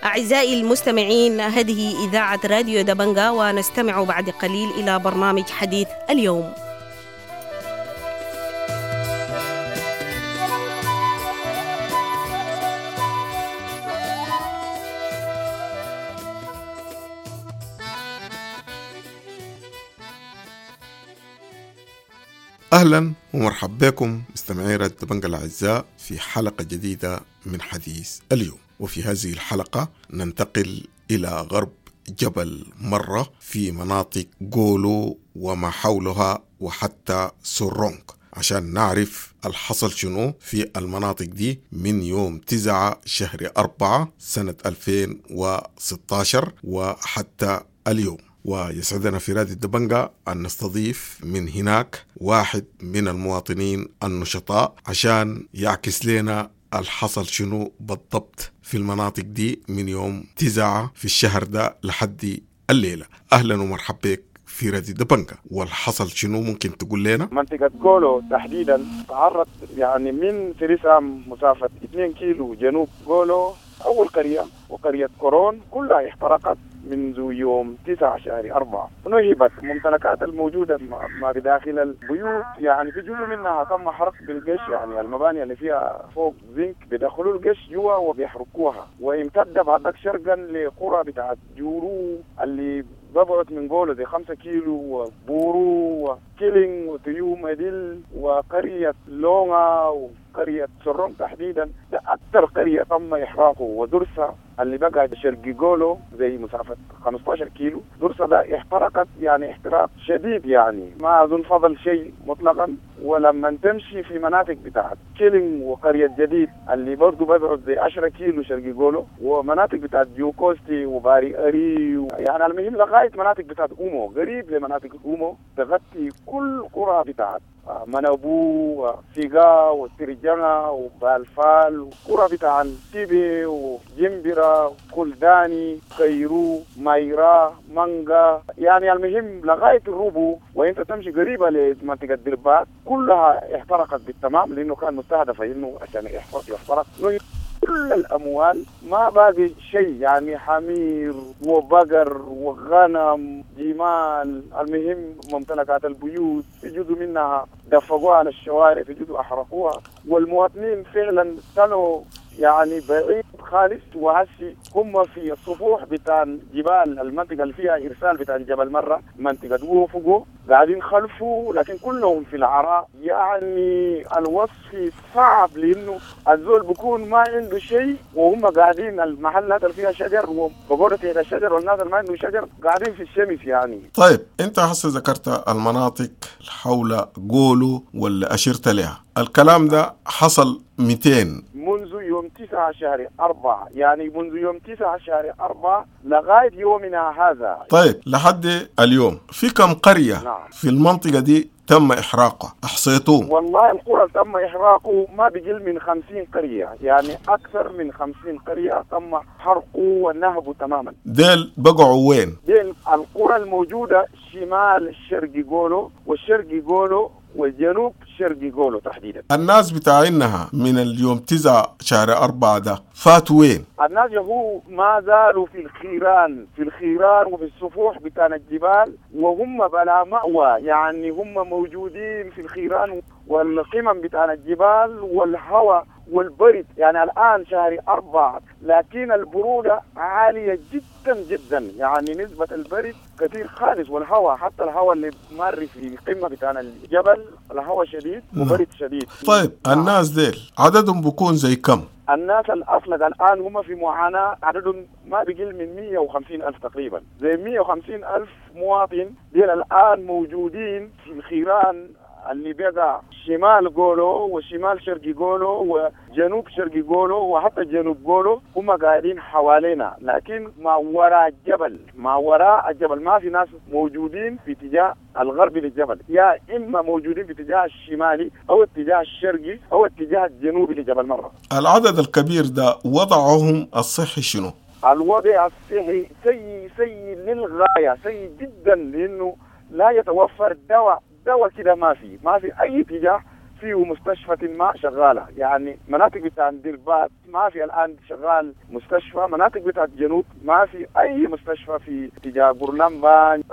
أعزائي المستمعين، هذه إذاعة راديو دبنجا، ونستمع بعد قليل إلى برنامج حديث اليوم. أهلا ومرحبا بكم مستمعي راديو دبنجا الأعزاء في حلقة جديدة من حديث اليوم. وفي هذه الحلقة ننتقل إلى غرب جبل مرة في مناطق جولو وما حولها وحتى سورونك عشان نعرف الحصل شنو في المناطق دي من يوم 9 شهر 4 سنة 2016 وحتى اليوم. ويسعدنا في راديو دبنجا أن نستضيف من هناك واحد من المواطنين النشطاء عشان يعكس لنا الحصل شنو بالضبط في المناطق دي من يوم 9 في الشهر ده لحد الليلة. أهلا ومرحبا بك في راديو دبنجا. والحصل شنو ممكن تقول لنا؟ منطقة جولو تحديدا تعرض يعني من سريسام مسافة 2 كيلو جنوب جولو أول قرية وقرية كورون كلها احترقت منذ يوم 9 شهر 4. نهبت الممتلكات الموجودة ما بداخل البيوت، يعني في جزء منها تم حرق بالقش، يعني المباني اللي فيها فوق زنك بيدخلوا القش جوا وبيحرقوها. وامتد بعدك شرقا لقرى بتاعت جورو اللي ببعد من جولو زي 5 كيلو، وبورو وكيلينج وتيوم مديل وقرية لونغا وقرية سرون تحديدا. ده أكثر قرية تم إحراقه ودرسة اللي بقى شرق جولو زي مسافة 15 كيلو. درسة ده احترقت يعني احتراق شديد، يعني ما أظن فضل شيء مطلقا. ولما تمشي في مناطق بتاعت كيلين وقرية جديد اللي برضو ببعد زي 10 كيلو شرق جولو، ومناطق بتاعت جوكوستي وباري أري، يعني المهم لغاية مناطق بتاعت أومو، قريب لمناطق أومو، تغطي كل قرى بتاعت منابو وسيغا وسرجنا وبالفال، وقرى بتاع تيبي وجمبرة وكلداني كيرو مايرا مانجا، يعني المهم لغاية الروبو. وانت تمشي قريبة لمنطقة دربات كلها احترقت بالتمام، لأنه كان مستهدفة إنه عشان يحترق كل الأموال، ما باقي شيء، يعني حمير وبقر وغنم جمال، المهم ممتلكات البيوت في جزء منها دفقوها على الشوارع، في جزء أحرقوها، والمواطنين فعلا كانوا يعني بعيد خالص. وهسي هم في السفوح بتاع جبال المنطقة اللي فيها إرسال بتاع جبل مرة، منطقة وفقو قاعدين خلفه، لكن كلهم في العراء. يعني الوصف صعب، لأنه الزول بيكون ما عنده شيء، وهم قاعدين المحلات اللي فيها شجر وبقولة تحت الشجر، والناس اللي ما عنده شجر قاعدين في الشمس يعني. طيب أنت هسه ذكرت المناطق حول جولو واللي أشرت لها، الكلام ده حصل 200 منذ يوم 9/4، يعني منذ يوم 9/4 لغاية يومنا هذا. طيب لحد اليوم في كم قرية نعم. في المنطقة دي تم إحراقها؟ أحصيتوه؟ والله القرى تم إحراقه ما بقل من 50 قرية، يعني أكثر من 50 قرية تم حرقه ونهبه تماما. ديل بقعوا وين؟ ديل القرى الموجودة شمال الشرق جولو والشرق جولو والجنوب شرق جولو تحديدا. الناس بتاعينها من اليوم 9/4 ده فاتوا وين؟ الناس هو ما زالوا في الخيران، في الخيران وفي السفوح بتاع الجبال، وهم بلا مأوى، يعني هم موجودين في الخيران والقمم بتاع الجبال والهواء والبرد. يعني الآن 4/4، لكن البرودة عالية جدا جدا، يعني نسبة البرد كثير خالص، والهواء حتى الهواء اللي مر في قمة بتاع الجبل الهواء شديد وبرد شديد. طيب الناس ديل عددهم بيكون زي كم؟ الناس الأصلق الآن هم في معاناة، عددهم ما بيقل من 150 ألف تقريبا، زي 150 ألف مواطن ديل الآن موجودين في الخيران اللي بقى شمال جولو وشمال شرق جولو وجنوب شرق جولو وحتى جنوب جولو، هم قاعدين حوالينا، لكن ما وراء الجبل، ما وراء الجبل ما في ناس موجودين في اتجاه الغربي للجبل، يا إما موجودين في اتجاه الشمالي أو اتجاه الشرقي أو اتجاه الجنوبي لجبل مرة. العدد الكبير ده وضعهم الصحي شنو؟ الوضع الصحي سيء سيء للغاية، سيء جدا، لأنه لا يتوفر دواء كده، ما في اي اتجاه فيه مستشفى ما شغاله، يعني مناطق بتاع دربات ما في الان شغال مستشفى، مناطق بتاع الجنوب ما في اي مستشفى، في اتجاه برلمبان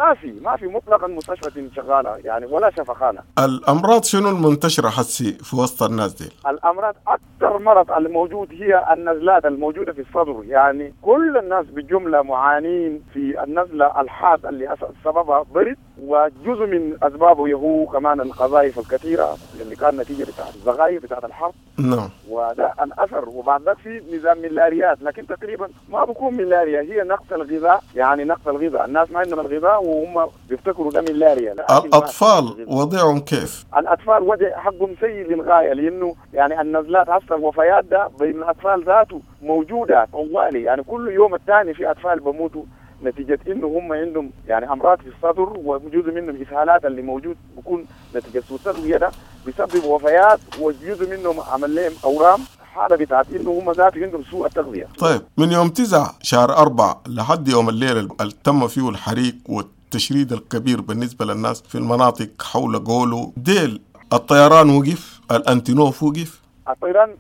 ما في مطلقا مستشفى شغاله يعني، ولا شفخانه. الامراض شنو المنتشره حسي في وسط الناس دي؟ الامراض اكثر مرض الموجود هي النزلات الموجوده في الصدر، يعني كل الناس بالجمله معانين في النزله الحاد اللي سببها برد، وجزء من اسبابه هو كمان القذائف الكثيره اللي كان نتيجه بتاعت الزغاير بتاعت الحرب. نعم. وده الاثر. وبعد ذاك في نظام ملاريات، لكن تقريبا ما بكون ملاريا، هي نقص الغذاء، يعني نقص الغذاء، الناس ما عندهم الغذاء وهم بيفتكروا ده ملاريا. الاطفال وضعهم كيف؟ الاطفال وضع حقهم سيء للغايه، لانه يعني النزلات هسه الوفيات ده بين الاطفال ذاته موجوده طوالي، يعني كل يوم الثاني في اطفال بموتوا نتيجة إنه هم عندهم يعني أمراض في الصدر، وجزء منهم إسهالات اللي موجود بيكون نتيجة سوء التغذية ده بيسبب وفيات، وجزء منهم عمل لهم أورام، حالة بتاعت إنه هم ذاته عندهم سوء التغذية. طيب من يوم 9/4 لحد يوم الليلة اللي تم فيه الحريق والتشريد الكبير بالنسبة للناس في المناطق حول جولو ديل، الطيران وقف، الأنتينوف وقف؟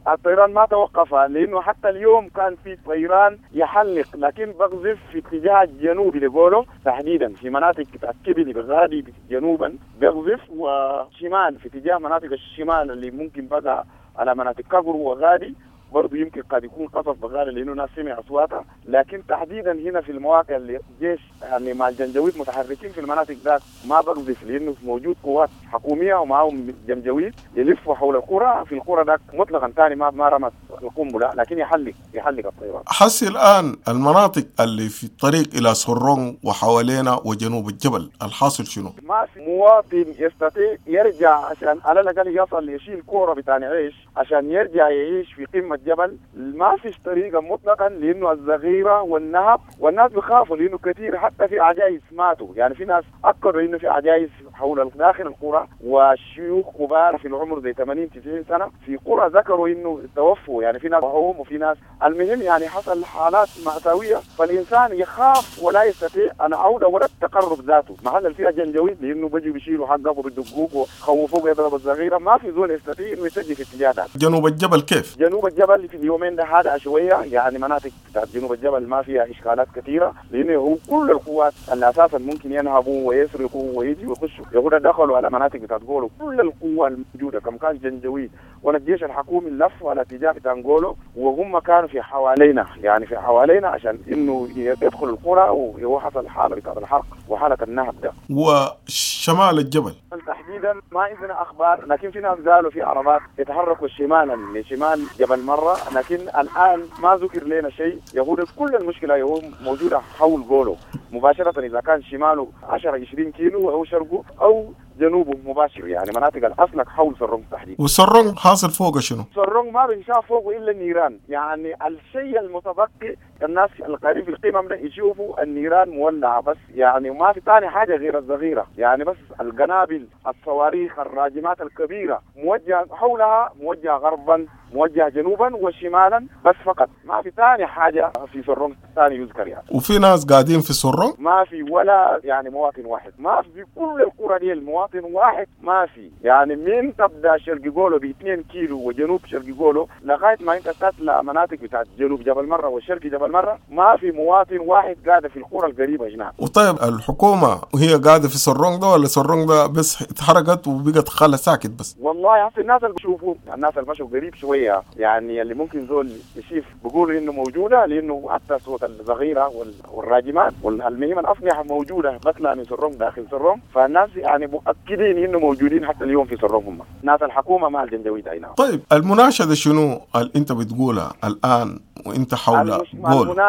الطيران ما توقف، لانه حتى اليوم كان في طيران يحلق، لكن بقذف في اتجاه الجنوبي لجولو تحديدا في مناطق كبلي بغادي جنوبا بقذف، وشمال في اتجاه مناطق الشمال اللي ممكن بقى على مناطق كقر وغادي برضه يمكن قد يكون قصف بغالي لانه ناس سمع اصواتها، لكن تحديدا هنا في المواقع اللي الجيش يعني مع الجنجويد متحركين في المناطق ذات ما بقذف، لانه موجود قوات حكوميه ومعهم جنجويد يلفوا حول القرى، في القرى ذاك مطلقا ثاني ما رمت القنبلة، لكن يحلق الطيران. حسي الان المناطق اللي في الطريق الى سرون وحوالينا وجنوب الجبل الحاصل شنو؟ ما في مواطن يستطيع يرجع عشان على الاقل يصل يشيل كورة بتاع عيش عشان يرجع يعيش في قمة جبل. ما فيش طريقه مطلقا، لانه الزغيره والنهب والناس بيخافوا، لانه كثير حتى في عجائز ماتوا. يعني في ناس اكدوا انه في عجائز حول داخل القرى وشيوخ كبار في العمر زي 80 90 سنة في قرى ذكروا انه توفوا. يعني في ناس وهم وفي ناس، المهم يعني حصل حالات مأساوية، فالانسان يخاف ولا يستطيع العودة ولا التقرب ذاته. محل فيها جنجويد لانه بيجوا بيشيلوا حقه وبيدقوك وخوفوك يضرب الصغيرة، ما في زول يستطيع انه يتجه في اتجاه ده. جنوب الجبل كيف؟ جنوب الجبل في اليومين ده هذا شوية، يعني مناطق بتاعت جنوب الجبل ما فيها اشكالات كثيرة، لانه هو كل القوات اللي اساسا ممكن ينهبوا ويسرقوا ويجوا ويخشوا يقولوا دخلوا على مناطق بتاعت جولو. كل القوة الموجودة كم كان جنجويد ولا الجيش الحكومي لفوا على اتجاه بتاع جولو، وهم كانوا في حوالينا، يعني في حوالينا عشان انه يدخلوا القرى، وهو حصل حاله بتاعت الحرق وحاله النهب ده. وشمال الجبل تحديدا ما عندنا اخبار، لكن في ناس قالوا في عربات يتحركوا شمالا من شمال جبل مرة، لكن الان ما ذكر لنا شيء. يقول كل المشكلة هو موجودة حول جولو مباشرة، اذا كان شماله 10 20 كيلو او شرقه او جنوبه مباشر، يعني مناطق الاصلك حول سرونج تحديدا. وسرونج حاصل فوقه شنو؟ سرونج ما بنشاف فوقه الا النيران، يعني الشيء المتبقي الناس القريب في القمم ده يشوفوا النيران مولعه بس، يعني ما في ثاني حاجة غير الصغيرة، يعني بس القنابل الصواريخ الراجمات الكبيرة موجهة حولها، موجهة غربا موجهة جنوبا وشمالا بس فقط، ما في ثاني حاجة في سرونج ثاني يذكر يعني. وفي ناس قاعدين في سرونج؟ ما في ولا يعني مواطن واحد، ما في كل القرى دي المواطن واحد ما في، يعني من تبدا شرق جولو ب 2 كيلو وجنوب شرق جولو لغاية ما انت تطلع مناطق بتاعت جنوب جبل مرة وشرق جبل مرة ما في مواطن واحد قاعد في القرى القريبة هناك. وطيب الحكومة وهي قاعدة في سرونج ده ولا سرونج ده بس اتحرقت وبقت خالة ساكت بس؟ والله هسه الناس اللي بشوفوا، الناس اللي مشوا قريب شوية يعني اللي ممكن زول يشوف بيقولوا انه موجودة، لانه حتى صوت الصغيرة والراجمات والمهم الاسلحة موجودة بطلع من سرونج داخل سرونج، فالناس يعني مؤكدين انه موجودين حتى اليوم في سرونج هم ناس الحكومة مع الجنجويد. اي نعم. طيب المناشده شنو اللي انت بتقولها الان وانت حول جول؟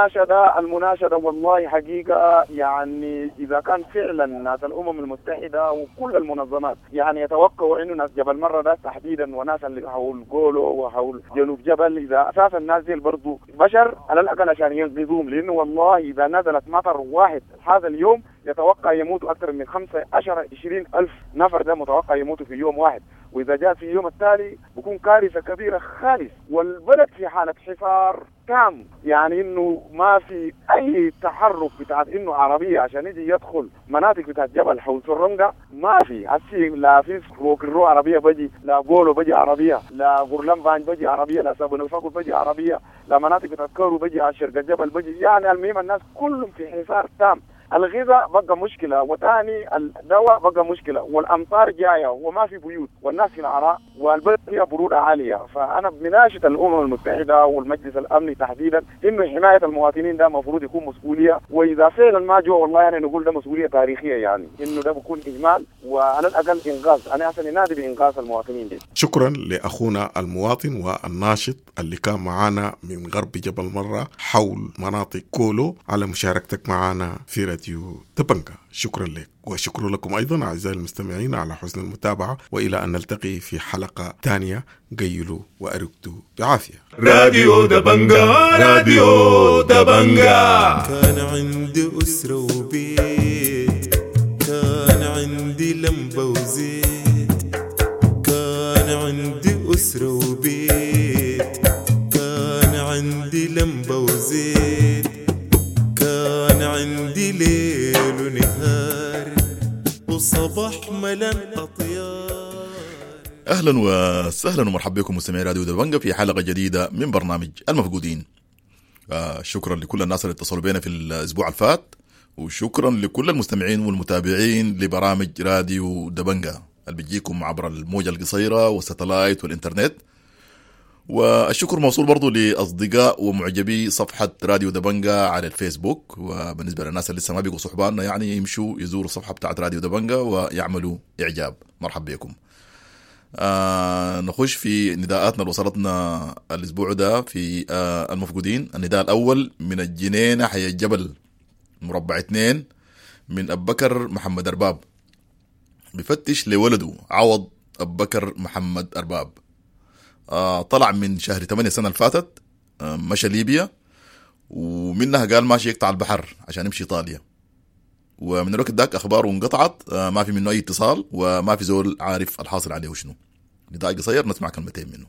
المناشده والله حقيقة يعني اذا كان فعلا ناس الامم المتحدة وكل المنظمات يعني يتوقعوا انه ناس جبل مرة ده تحديدا وناس اللي حول جولو وحول جنوب جبل، اذا اساسا الناس دي برضه بشر على الاقل عشان ينقذوهم، لانه والله اذا نزلت مطر واحد هذا اليوم يتوقع يموتوا اكثر من 15 20 الف نفر، ده متوقع يموتوا في يوم واحد، واذا جاء في اليوم التالي بكون كارثة كبيرة خالص، والبلد في حاله حصار تام، يعني انه ما في اي تحرك بتاع انه عربية عشان يجي يدخل مناطق بتاعت جبل حول سرنجة ما في. هسي لا في روكرو عربية بجي، لا جولو بجي عربية، لا غرلمبان بجي عربية، لا سابونفاكو بجي عربية، لا مناطق بتاعت كورو بجي على شرق الجبل بجي، يعني المهم الناس كلهم في حصار تام. الغذاء بقى مشكلة، وثاني الدواء بقى مشكلة، والأمطار جاية وما في بيوت والناس في العراء والبلد فيها برودة عالية. فأنا بناشد الأمم المتحدة والمجلس الأمني تحديدا إنه حماية المواطنين ده المفروض يكون مسؤولية، وإذا فعلا ما جوا والله يعني نقول ده مسؤولية تاريخية، يعني إنه ده بيكون إهمال وعلى الأقل إنقاذ. أنا أصلا نادي بإنقاذ المواطنين دي. شكرا لأخونا المواطن والناشط اللي كان معانا من غرب جبل مرة حول مناطق كولو على مشاركتك معنا في راديو دبنجا. شكرا لك، وشكر لكم أيضا أعزائي المستمعين على حسن المتابعة، وإلى أن نلتقي في حلقة ثانية. قيلوا وأرقدوا بعافية. راديو دبنجا، راديو دبنجا. كان عندي أسرة وبيت، كان عندي لمبة وزيت، كان عندي أسرة وبيت، كان عندي لمبة وزيت، كان عندي ليل ونهار وصباح ملان أطيار. أهلا وسهلا ومرحبا بكم مستمعي راديو دبنجا في حلقة جديدة من برنامج المفقودين. شكرا لكل الناس اللي اتصلوا بينا في الأسبوع الفات، وشكرا لكل المستمعين والمتابعين لبرامج راديو دبنجا اللي بتجيكم عبر الموجة القصيرة والستلايت والإنترنت. والشكر موصول برضو لأصدقاء ومعجبي صفحة راديو دبنجا على الفيسبوك. وبالنسبة للناس اللي لسه ما بيقوا صحباننا يعني يمشوا يزوروا الصفحة بتاعت راديو دبنجا ويعملوا إعجاب. مرحبا بكم. نخش في نداءاتنا اللي وصلتنا الاسبوع ده في المفقودين. النداء الاول من الجنينة حي الجبل مربع 2 من ابو بكر محمد ارباب، بفتش لولده عوض ابو بكر محمد ارباب. طلع من شهر 8 السنة اللي فاتت، مشى ليبيا ومنها قال ماشي يقطع البحر عشان يمشي ايطاليا، ومن الوقت ذاك اخباره انقطعت، ما في منه اي اتصال وما في زول عارف الحاصل عليه شنو. نداء قصير نسمع كلمتين منه.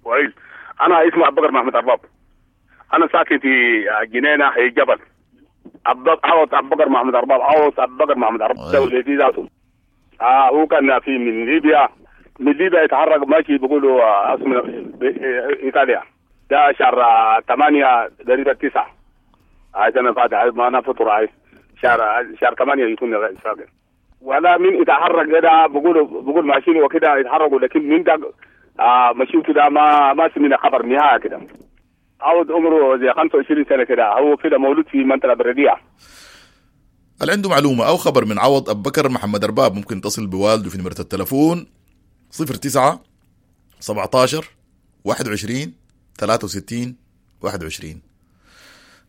كويس، انا اسمي ابو بكر محمد ارباب، انا ساكن في جنينة حي الجبل. عوض ابو بكر محمد ارباب، عوض ابو بكر محمد ارباب ولدي ذاته. هو كان في من ليبيا، من ليبيا يتحرك ماشي بيقولوا اسمه ايطاليا. ده شهر 8 تقريبا 9 هاي سنة فاتت، ما انا فطر هاي شهر 8 يكون ساكن. ولا من يتحرك كده بقول ماشيين وكده يتحركوا، لكن من ده مشيته ده ما سمعنا خبر نهائي كده. عود عمره زي 25 سنة كده، هو كده مولود في منطقة الرديعه. اللي عنده معلومة او خبر من عوض ابو بكر محمد ارباب ممكن يتصل بوالده في نمره التلفون 09 17 21 63 21.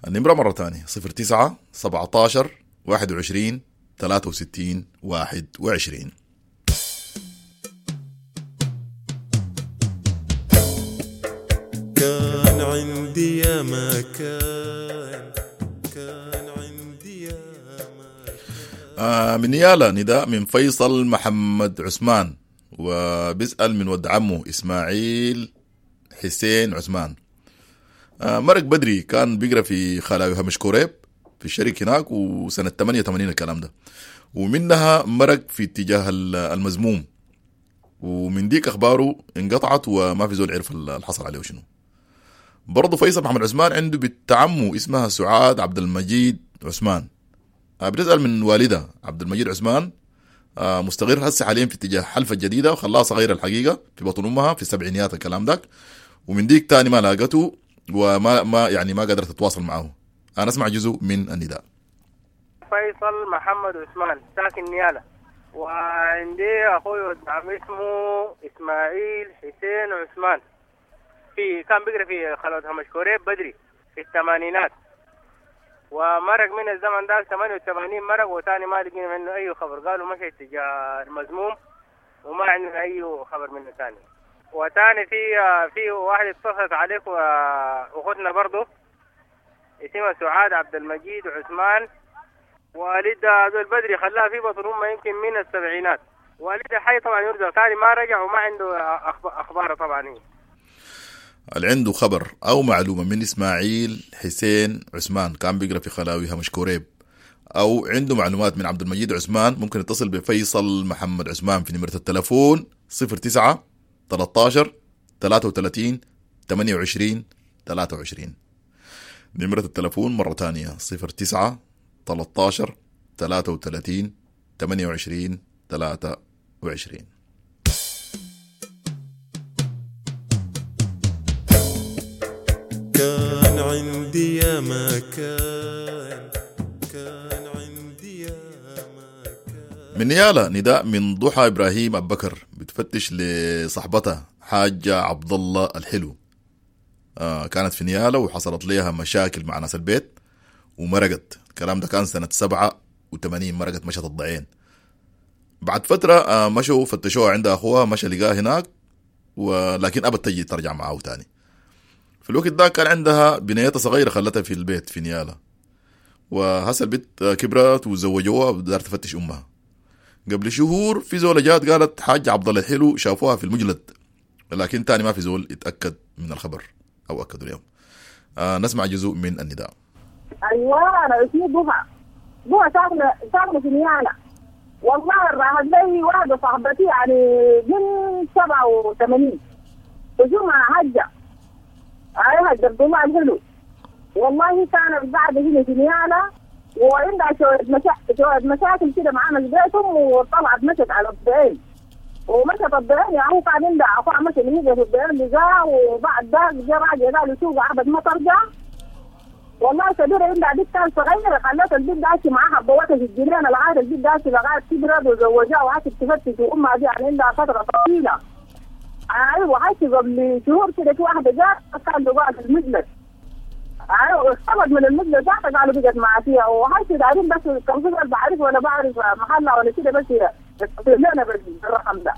النمرة مرة ثانية 09 17 21 63 21. كان عندي يا ما كان، كان عندي يا ما كان. من نيالا نداء من فيصل محمد عثمان، وبيسأل من ود عمه إسماعيل حسين عثمان. مرق بدري، كان بيقرأ في خلاوي همش كوريب في الشركة هناك، وسنة 88 الكلام ده، ومنها مرق في اتجاه المزموم، ومن ديك أخباره انقطعت وما في زول عرف اللي حصل عليه شنو. برضه فيصل محمد عثمان عنده بنت عمه اسمها سعاد عبد المجيد عثمان، بتسأل من والدها عبد المجيد عثمان، مستقر هسه حاليا في اتجاه حلفة الجديدة، وخلاها صغيرة الحقيقة في بطن أمها في السبعينيات الكلام داك، ومن ديك تاني ما لاقته وما ما يعني ما قدرت تتواصل معه. أنا أسمع جزء من النداء. فيصل محمد عثمان ساكن نيالا، وعندي أخوي ولد عمي اسمه إسماعيل حسين عثمان، في كان بيقرأ في خلوة همش كوريب بدري في الثمانينات، ومرق من الزمن ده 88 مرق، وتاني ما لقينا منه أي خبر، قالوا مشى اتجاه المزموم وما عندنا أي خبر منه تاني. وتاني في واحد اتصلت عليك وأختنا برضه اسمها سعاد عبد المجيد عثمان، والدها ذو البدري خلاها في بطن امه يمكن من السبعينات، والدها حي طبعا يرجع ثاني ما رجع وما عنده اخباره طبعا. اللي عنده خبر او معلومة من اسماعيل حسين عثمان كان بيقرا في خلاوي همش كوريب، او عنده معلومات من عبد المجيد عثمان، ممكن يتصل بفيصل محمد عثمان في نمره التلفون 09 13 33 28 23. نمرة التلفون مرة تانية 09 13 33 28 23. كان عندي يا ما كان، كان عندي يا ما كان. من نيالا نداء من ضحى إبراهيم أبو بكر، بتفتش لصاحبتها حاجة عبد الله الحلو. كانت في نيالا وحصلت لها مشاكل مع ناس البيت ومرقت. الكلام ده كان سنة 87، مرقت مشت الضعين. بعد فترة مشوا فتشوها عند أخوها، مشى لقاها هناك، ولكن أبت تجي ترجع معاه تاني. في الوقت ده كان عندها بنيتها صغيرة خلتها في البيت في نيالا، وهسه البنت كبرت وزوجوها ودارت تفتش أمها. قبل شهور في زولة جات قالت حاج عبد الله الحلو شافوها في المجلد، لكن تاني ما في زول اتأكد من الخبر أو أكدوا اليوم. نسمع جزء من النداء. أيوة أنا اسمي ضحى، ضحى ساكنة في نيالا. والله راحت لي واحدة صاحبتي يعني من 87 وجمعة حجة، هاي حجة الضماء الحلو. والله كانت قاعدة هنا في نيالا وعندها شوية مشاكل كده معانا في بيتهم، وطلعت مشت على الضعين، ومشت الضعين يعني هو كان عندها أخوها مشى اللي هي في الضعين لقاها، وبعد ده جا راجع قالوا سوق عبد ما ترجع، والله كبيرة عندها بنت كان صغيرة، خلت البنت داشي معاها بوتها في الجنينة لغاية البنت داشي لغاية كبرت وزوجها وعاشت تفتش، وأمها دي يعني عندها فترة طويلة. أيوة عاشت قبل شهور كده في واحدة جات كان بقى في المجلس. أيوة اختبت من المجلس ذاتها قالوا بقت مع فيها، وعاشت دارين بس كان في بعرف ولا بعرف محلها ولا كده، بس لنا بالرقم ده.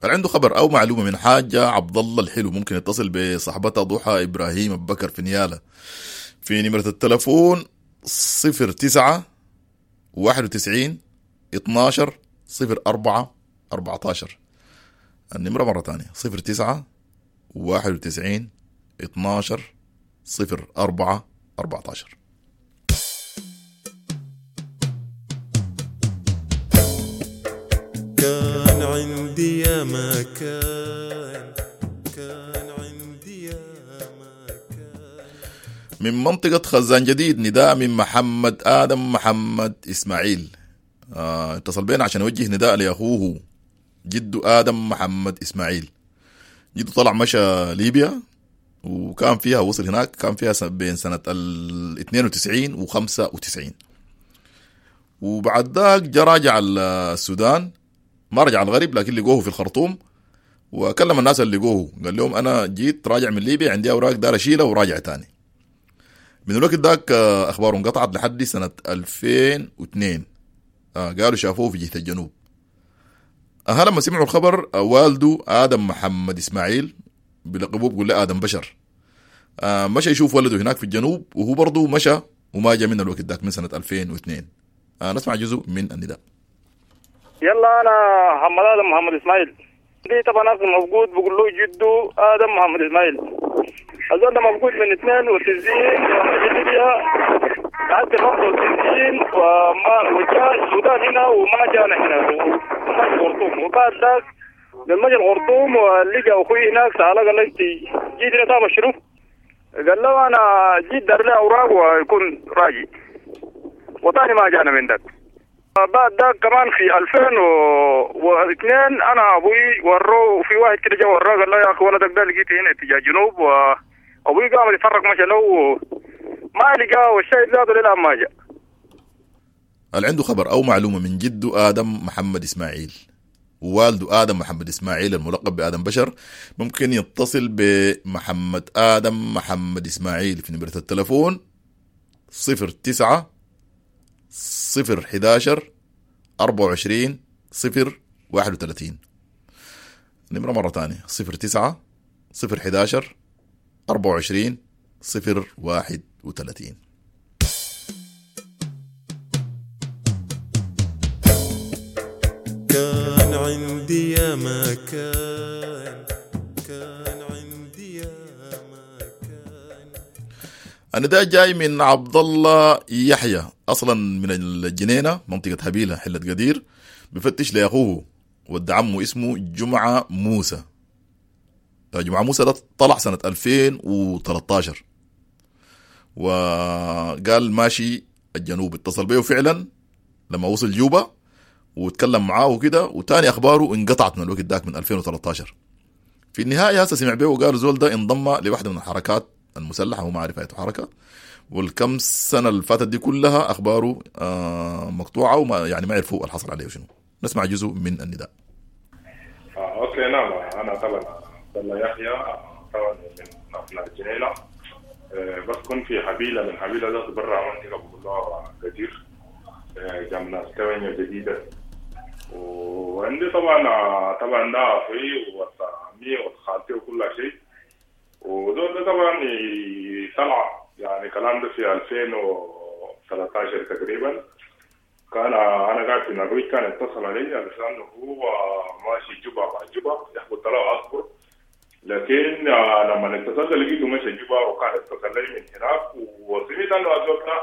اللي عنده خبر او معلومة من حاجة عبد الله الحلو ممكن يتصل بصاحبتها ضحى ابراهيم ابو بكر في نياله في نمره التلفون 09 91 12 04 14. النمرة مرة ثانية 09 91 12 04 14. كان عندي يا ما كان، كان عندي يا ما كان. من منطقة خزان جديد نداء من محمد آدم محمد إسماعيل. اتصل بينا عشان يوجه نداء لأخوه جده آدم محمد إسماعيل. جده طلع مشى ليبيا وكان فيها، وصل هناك كان فيها بين سنة 92 و 95، وبعد ذاك جا راجع السودان، ما رجع الغرب لكن لقوه في الخرطوم، وكلم الناس اللي لقوه قال لهم انا جيت راجع من ليبيا عندي اوراق دار اشيلها وراجع تاني. من الوقت ذاك اخباره انقطعت لحد سنة 2002. قالوا شافوه في جهة الجنوب. لما سمعوا الخبر والده ادم محمد اسماعيل بلقبوه بيقول له ادم بشر، مشى يشوف ولده هناك في الجنوب، وهو برضه مشى وما جا من الوقت ذاك من سنة 2002. نسمع جزء من النداء. يلا انا محمد ادم محمد اسماعيل، دي طبعا اصلا مفقود، بقول له جده ادم محمد اسماعيل. الزول ده مفقود من 92 ليبيا لحد 95، وما وجاء السودان هنا وما جانا هنا وما جا الخرطوم. وبعد ذاك لما جا الخرطوم ولقى اخوي هناك سأله قال له انت جيت هنا تعمل شنو؟ قال له انا جيت دار لي اوراق ويكون راجي، وثاني ما جانا من ذاك. بعد ذاك كمان في 2002 انا ابوي وروه في واحد كده جا وراه قال له يا اخي ولدك ده لقيته هنا اتجاه جنوب، وابوي قام يتفرق مشى له ما لقاه، والشيء ذاته للان ما جاء. اللي عنده خبر او معلومة من جده ادم محمد اسماعيل ووالده ادم محمد اسماعيل الملقب بادم بشر ممكن يتصل بمحمد ادم محمد اسماعيل في نمره التلفون 09 011 24 031. نمرة مرة تانية 09 011 24 031. كان عندي يا ما كان، كان عندي يا ما كان. النداء جاي من عبد الله يحيى، اصلا من الجنينة منطقة هبيله حله قدير، بفتش لاخوه ود عمه اسمه جمعه موسى. جمعه موسى ده طلع سنة 2013 وقال ماشي الجنوب. اتصل بيه فعلا لما وصل جوبا وتكلم معاه وكده، وتاني اخباره انقطعت من الوقت ذاك من 2013. في النهاية هسه سمع بيه وقال زول ده انضم لواحدة من الحركات المسلحة، هو ما عارف اي حركة، والكم سنة اللي فاتت دي كلها اخباره مقطوعة وما يعني ما عرفوا اللي حصل عليه شنو. نسمع جزء من النداء. okay نعم، انا طبعا عبد الله يحيى، طبعا من ابناء الجنينة، بسكن في حبيله، من حبيله ده برا منطقة بقول لها كثير، جامعه ثمانية جديدة. وعندي طبعا ده اخوي وعمي وخالتي وكل شيء. وزول ده طبعا طلع يعني كلام ده في 2013 تقريبا. كان انا قاعد في النرويج، كان اتصل علي علشان هو ماشي جوبا مع جوبا، قلت له اصبر، لكن لما اتصلت لقيته ماشي جوبا، وكان اتصل لي من هناك، وسمعت انه الزول ده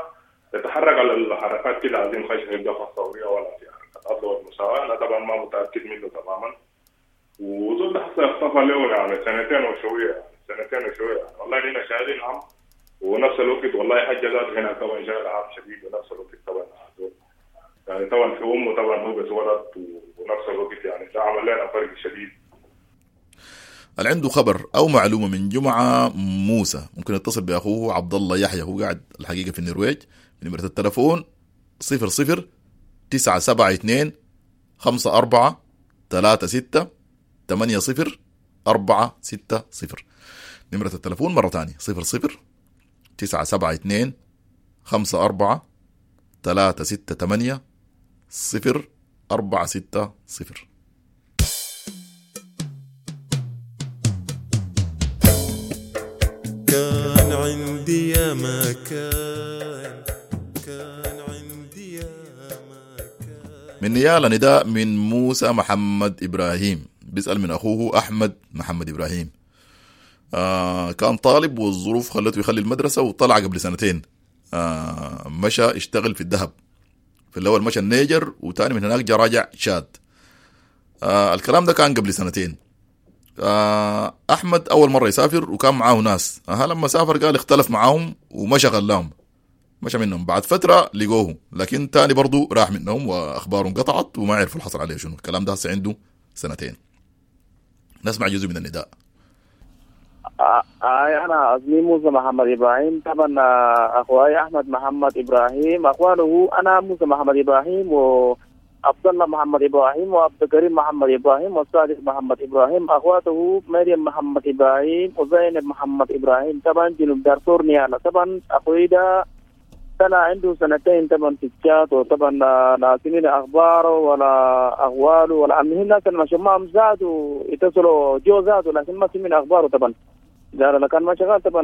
يتحرك على الحركات كده، عايزين خش في الجبهة الثورية ولا في حركات عدل والمساواة. انا طبعا ما متاكد منه تماما. وزول ده حتى اختفى له يعني سنتين وشوية، يعني والله لنا شاهدين عم، ونفس الوقت والله حاجة ذات هنا طبعا شاهد عام شديد، ونفس الوقت طبعا يعني طبعا في امه طبعا هو بس ولد، ونفس الوقت يعني ده عمل لنا فرق شديد. اللي عنده خبر او معلومة من جمعه موسى ممكن يتصل باخوه عبد الله يحيى، هو قاعد الحقيقة في النرويج. نمره التلفون 00 972 54 36 80 460. نمرة التلفون مرة تانية 00 972 54 368 0 460. كان عندي يا ما كان، كان عندي يا ما كان. من نيالا نداء من موسى محمد إبراهيم، بيسأل من أخوه أحمد محمد إبراهيم. كان طالب والظروف خلته يخلي المدرسة وطلع قبل سنتين. مشى اشتغل في الذهب، في الأول مشى النيجر وتاني من هناك جا راجع تشاد. الكلام ده كان قبل سنتين. أحمد أول مرة يسافر وكان معاه ناس. لما سافر قال اختلف معاهم ومشى غلاهم، مشى منهم. بعد فترة لقوه، لكن تاني برضو راح منهم وأخباره انقطعت وما عرفوا الحصل عليه شنو. الكلام ده هسه عنده سنتين. نسمع جزء من النداء. أنا اسمي موسى محمد إبراهيم. طبعا أخوي أحمد محمد إبراهيم، أخوانه أنا موسى محمد إبراهيم وعبد الله محمد إبراهيم وعبد الكريم محمد إبراهيم وصادق محمد إبراهيم. أخواته مريم محمد إبراهيم وزينب محمد إبراهيم. طبعا جنوب دارفور نيالا. طبعا أخوي ده طلع عنده سنتين طبعا في الشات، وطبعا لا سمعنا اخباره ولا اخواله ولا المهم الناس اللي معهم زادوا يتصلوا جو زادوا، لكن ما سمعنا اخباره. طبعا لا كان ما شغال، طبعا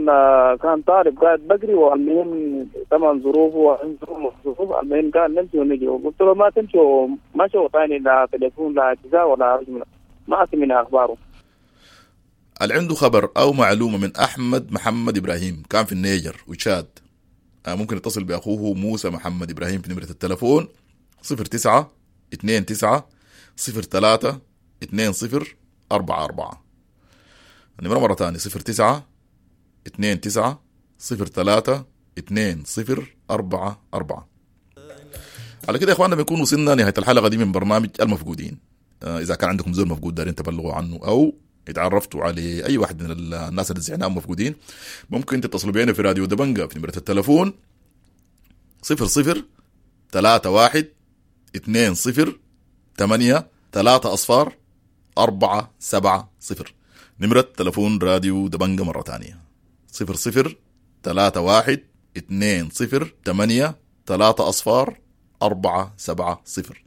كان طالب قاعد بقري، والمهم طبعا ظروفه ظروف، المهم كان نمشي ونجي، وقلت له ما تمشي، مشوا ثاني لا تليفون لا اتصال ولا رجل، ما سمعنا اخباره. اللي عنده خبر او معلومة من احمد محمد ابراهيم كان في النيجر وتشاد، ممكن يتصل بأخوه موسى محمد إبراهيم في نمرة التلفون 09 29 03 20 44. النمرة مرة تانية 09 29 03 20 44. على كده يا إخواننا بنكون وصلنا نهاية الحلقة دي من برنامج المفقودين. إذا كان عندكم زول مفقود دارين تبلغوا عنه أو اتعرفتوا على اي واحد من الناس اللي زعناهم مفقودين، ممكن تتصلوا بينا في راديو دبنجة في نمرة التلفون 00 31 20 8 3 0 4 7 0. نمرة تلفون راديو دبنجة مرة تانية 00 31 20 8 3 0 4 7 0.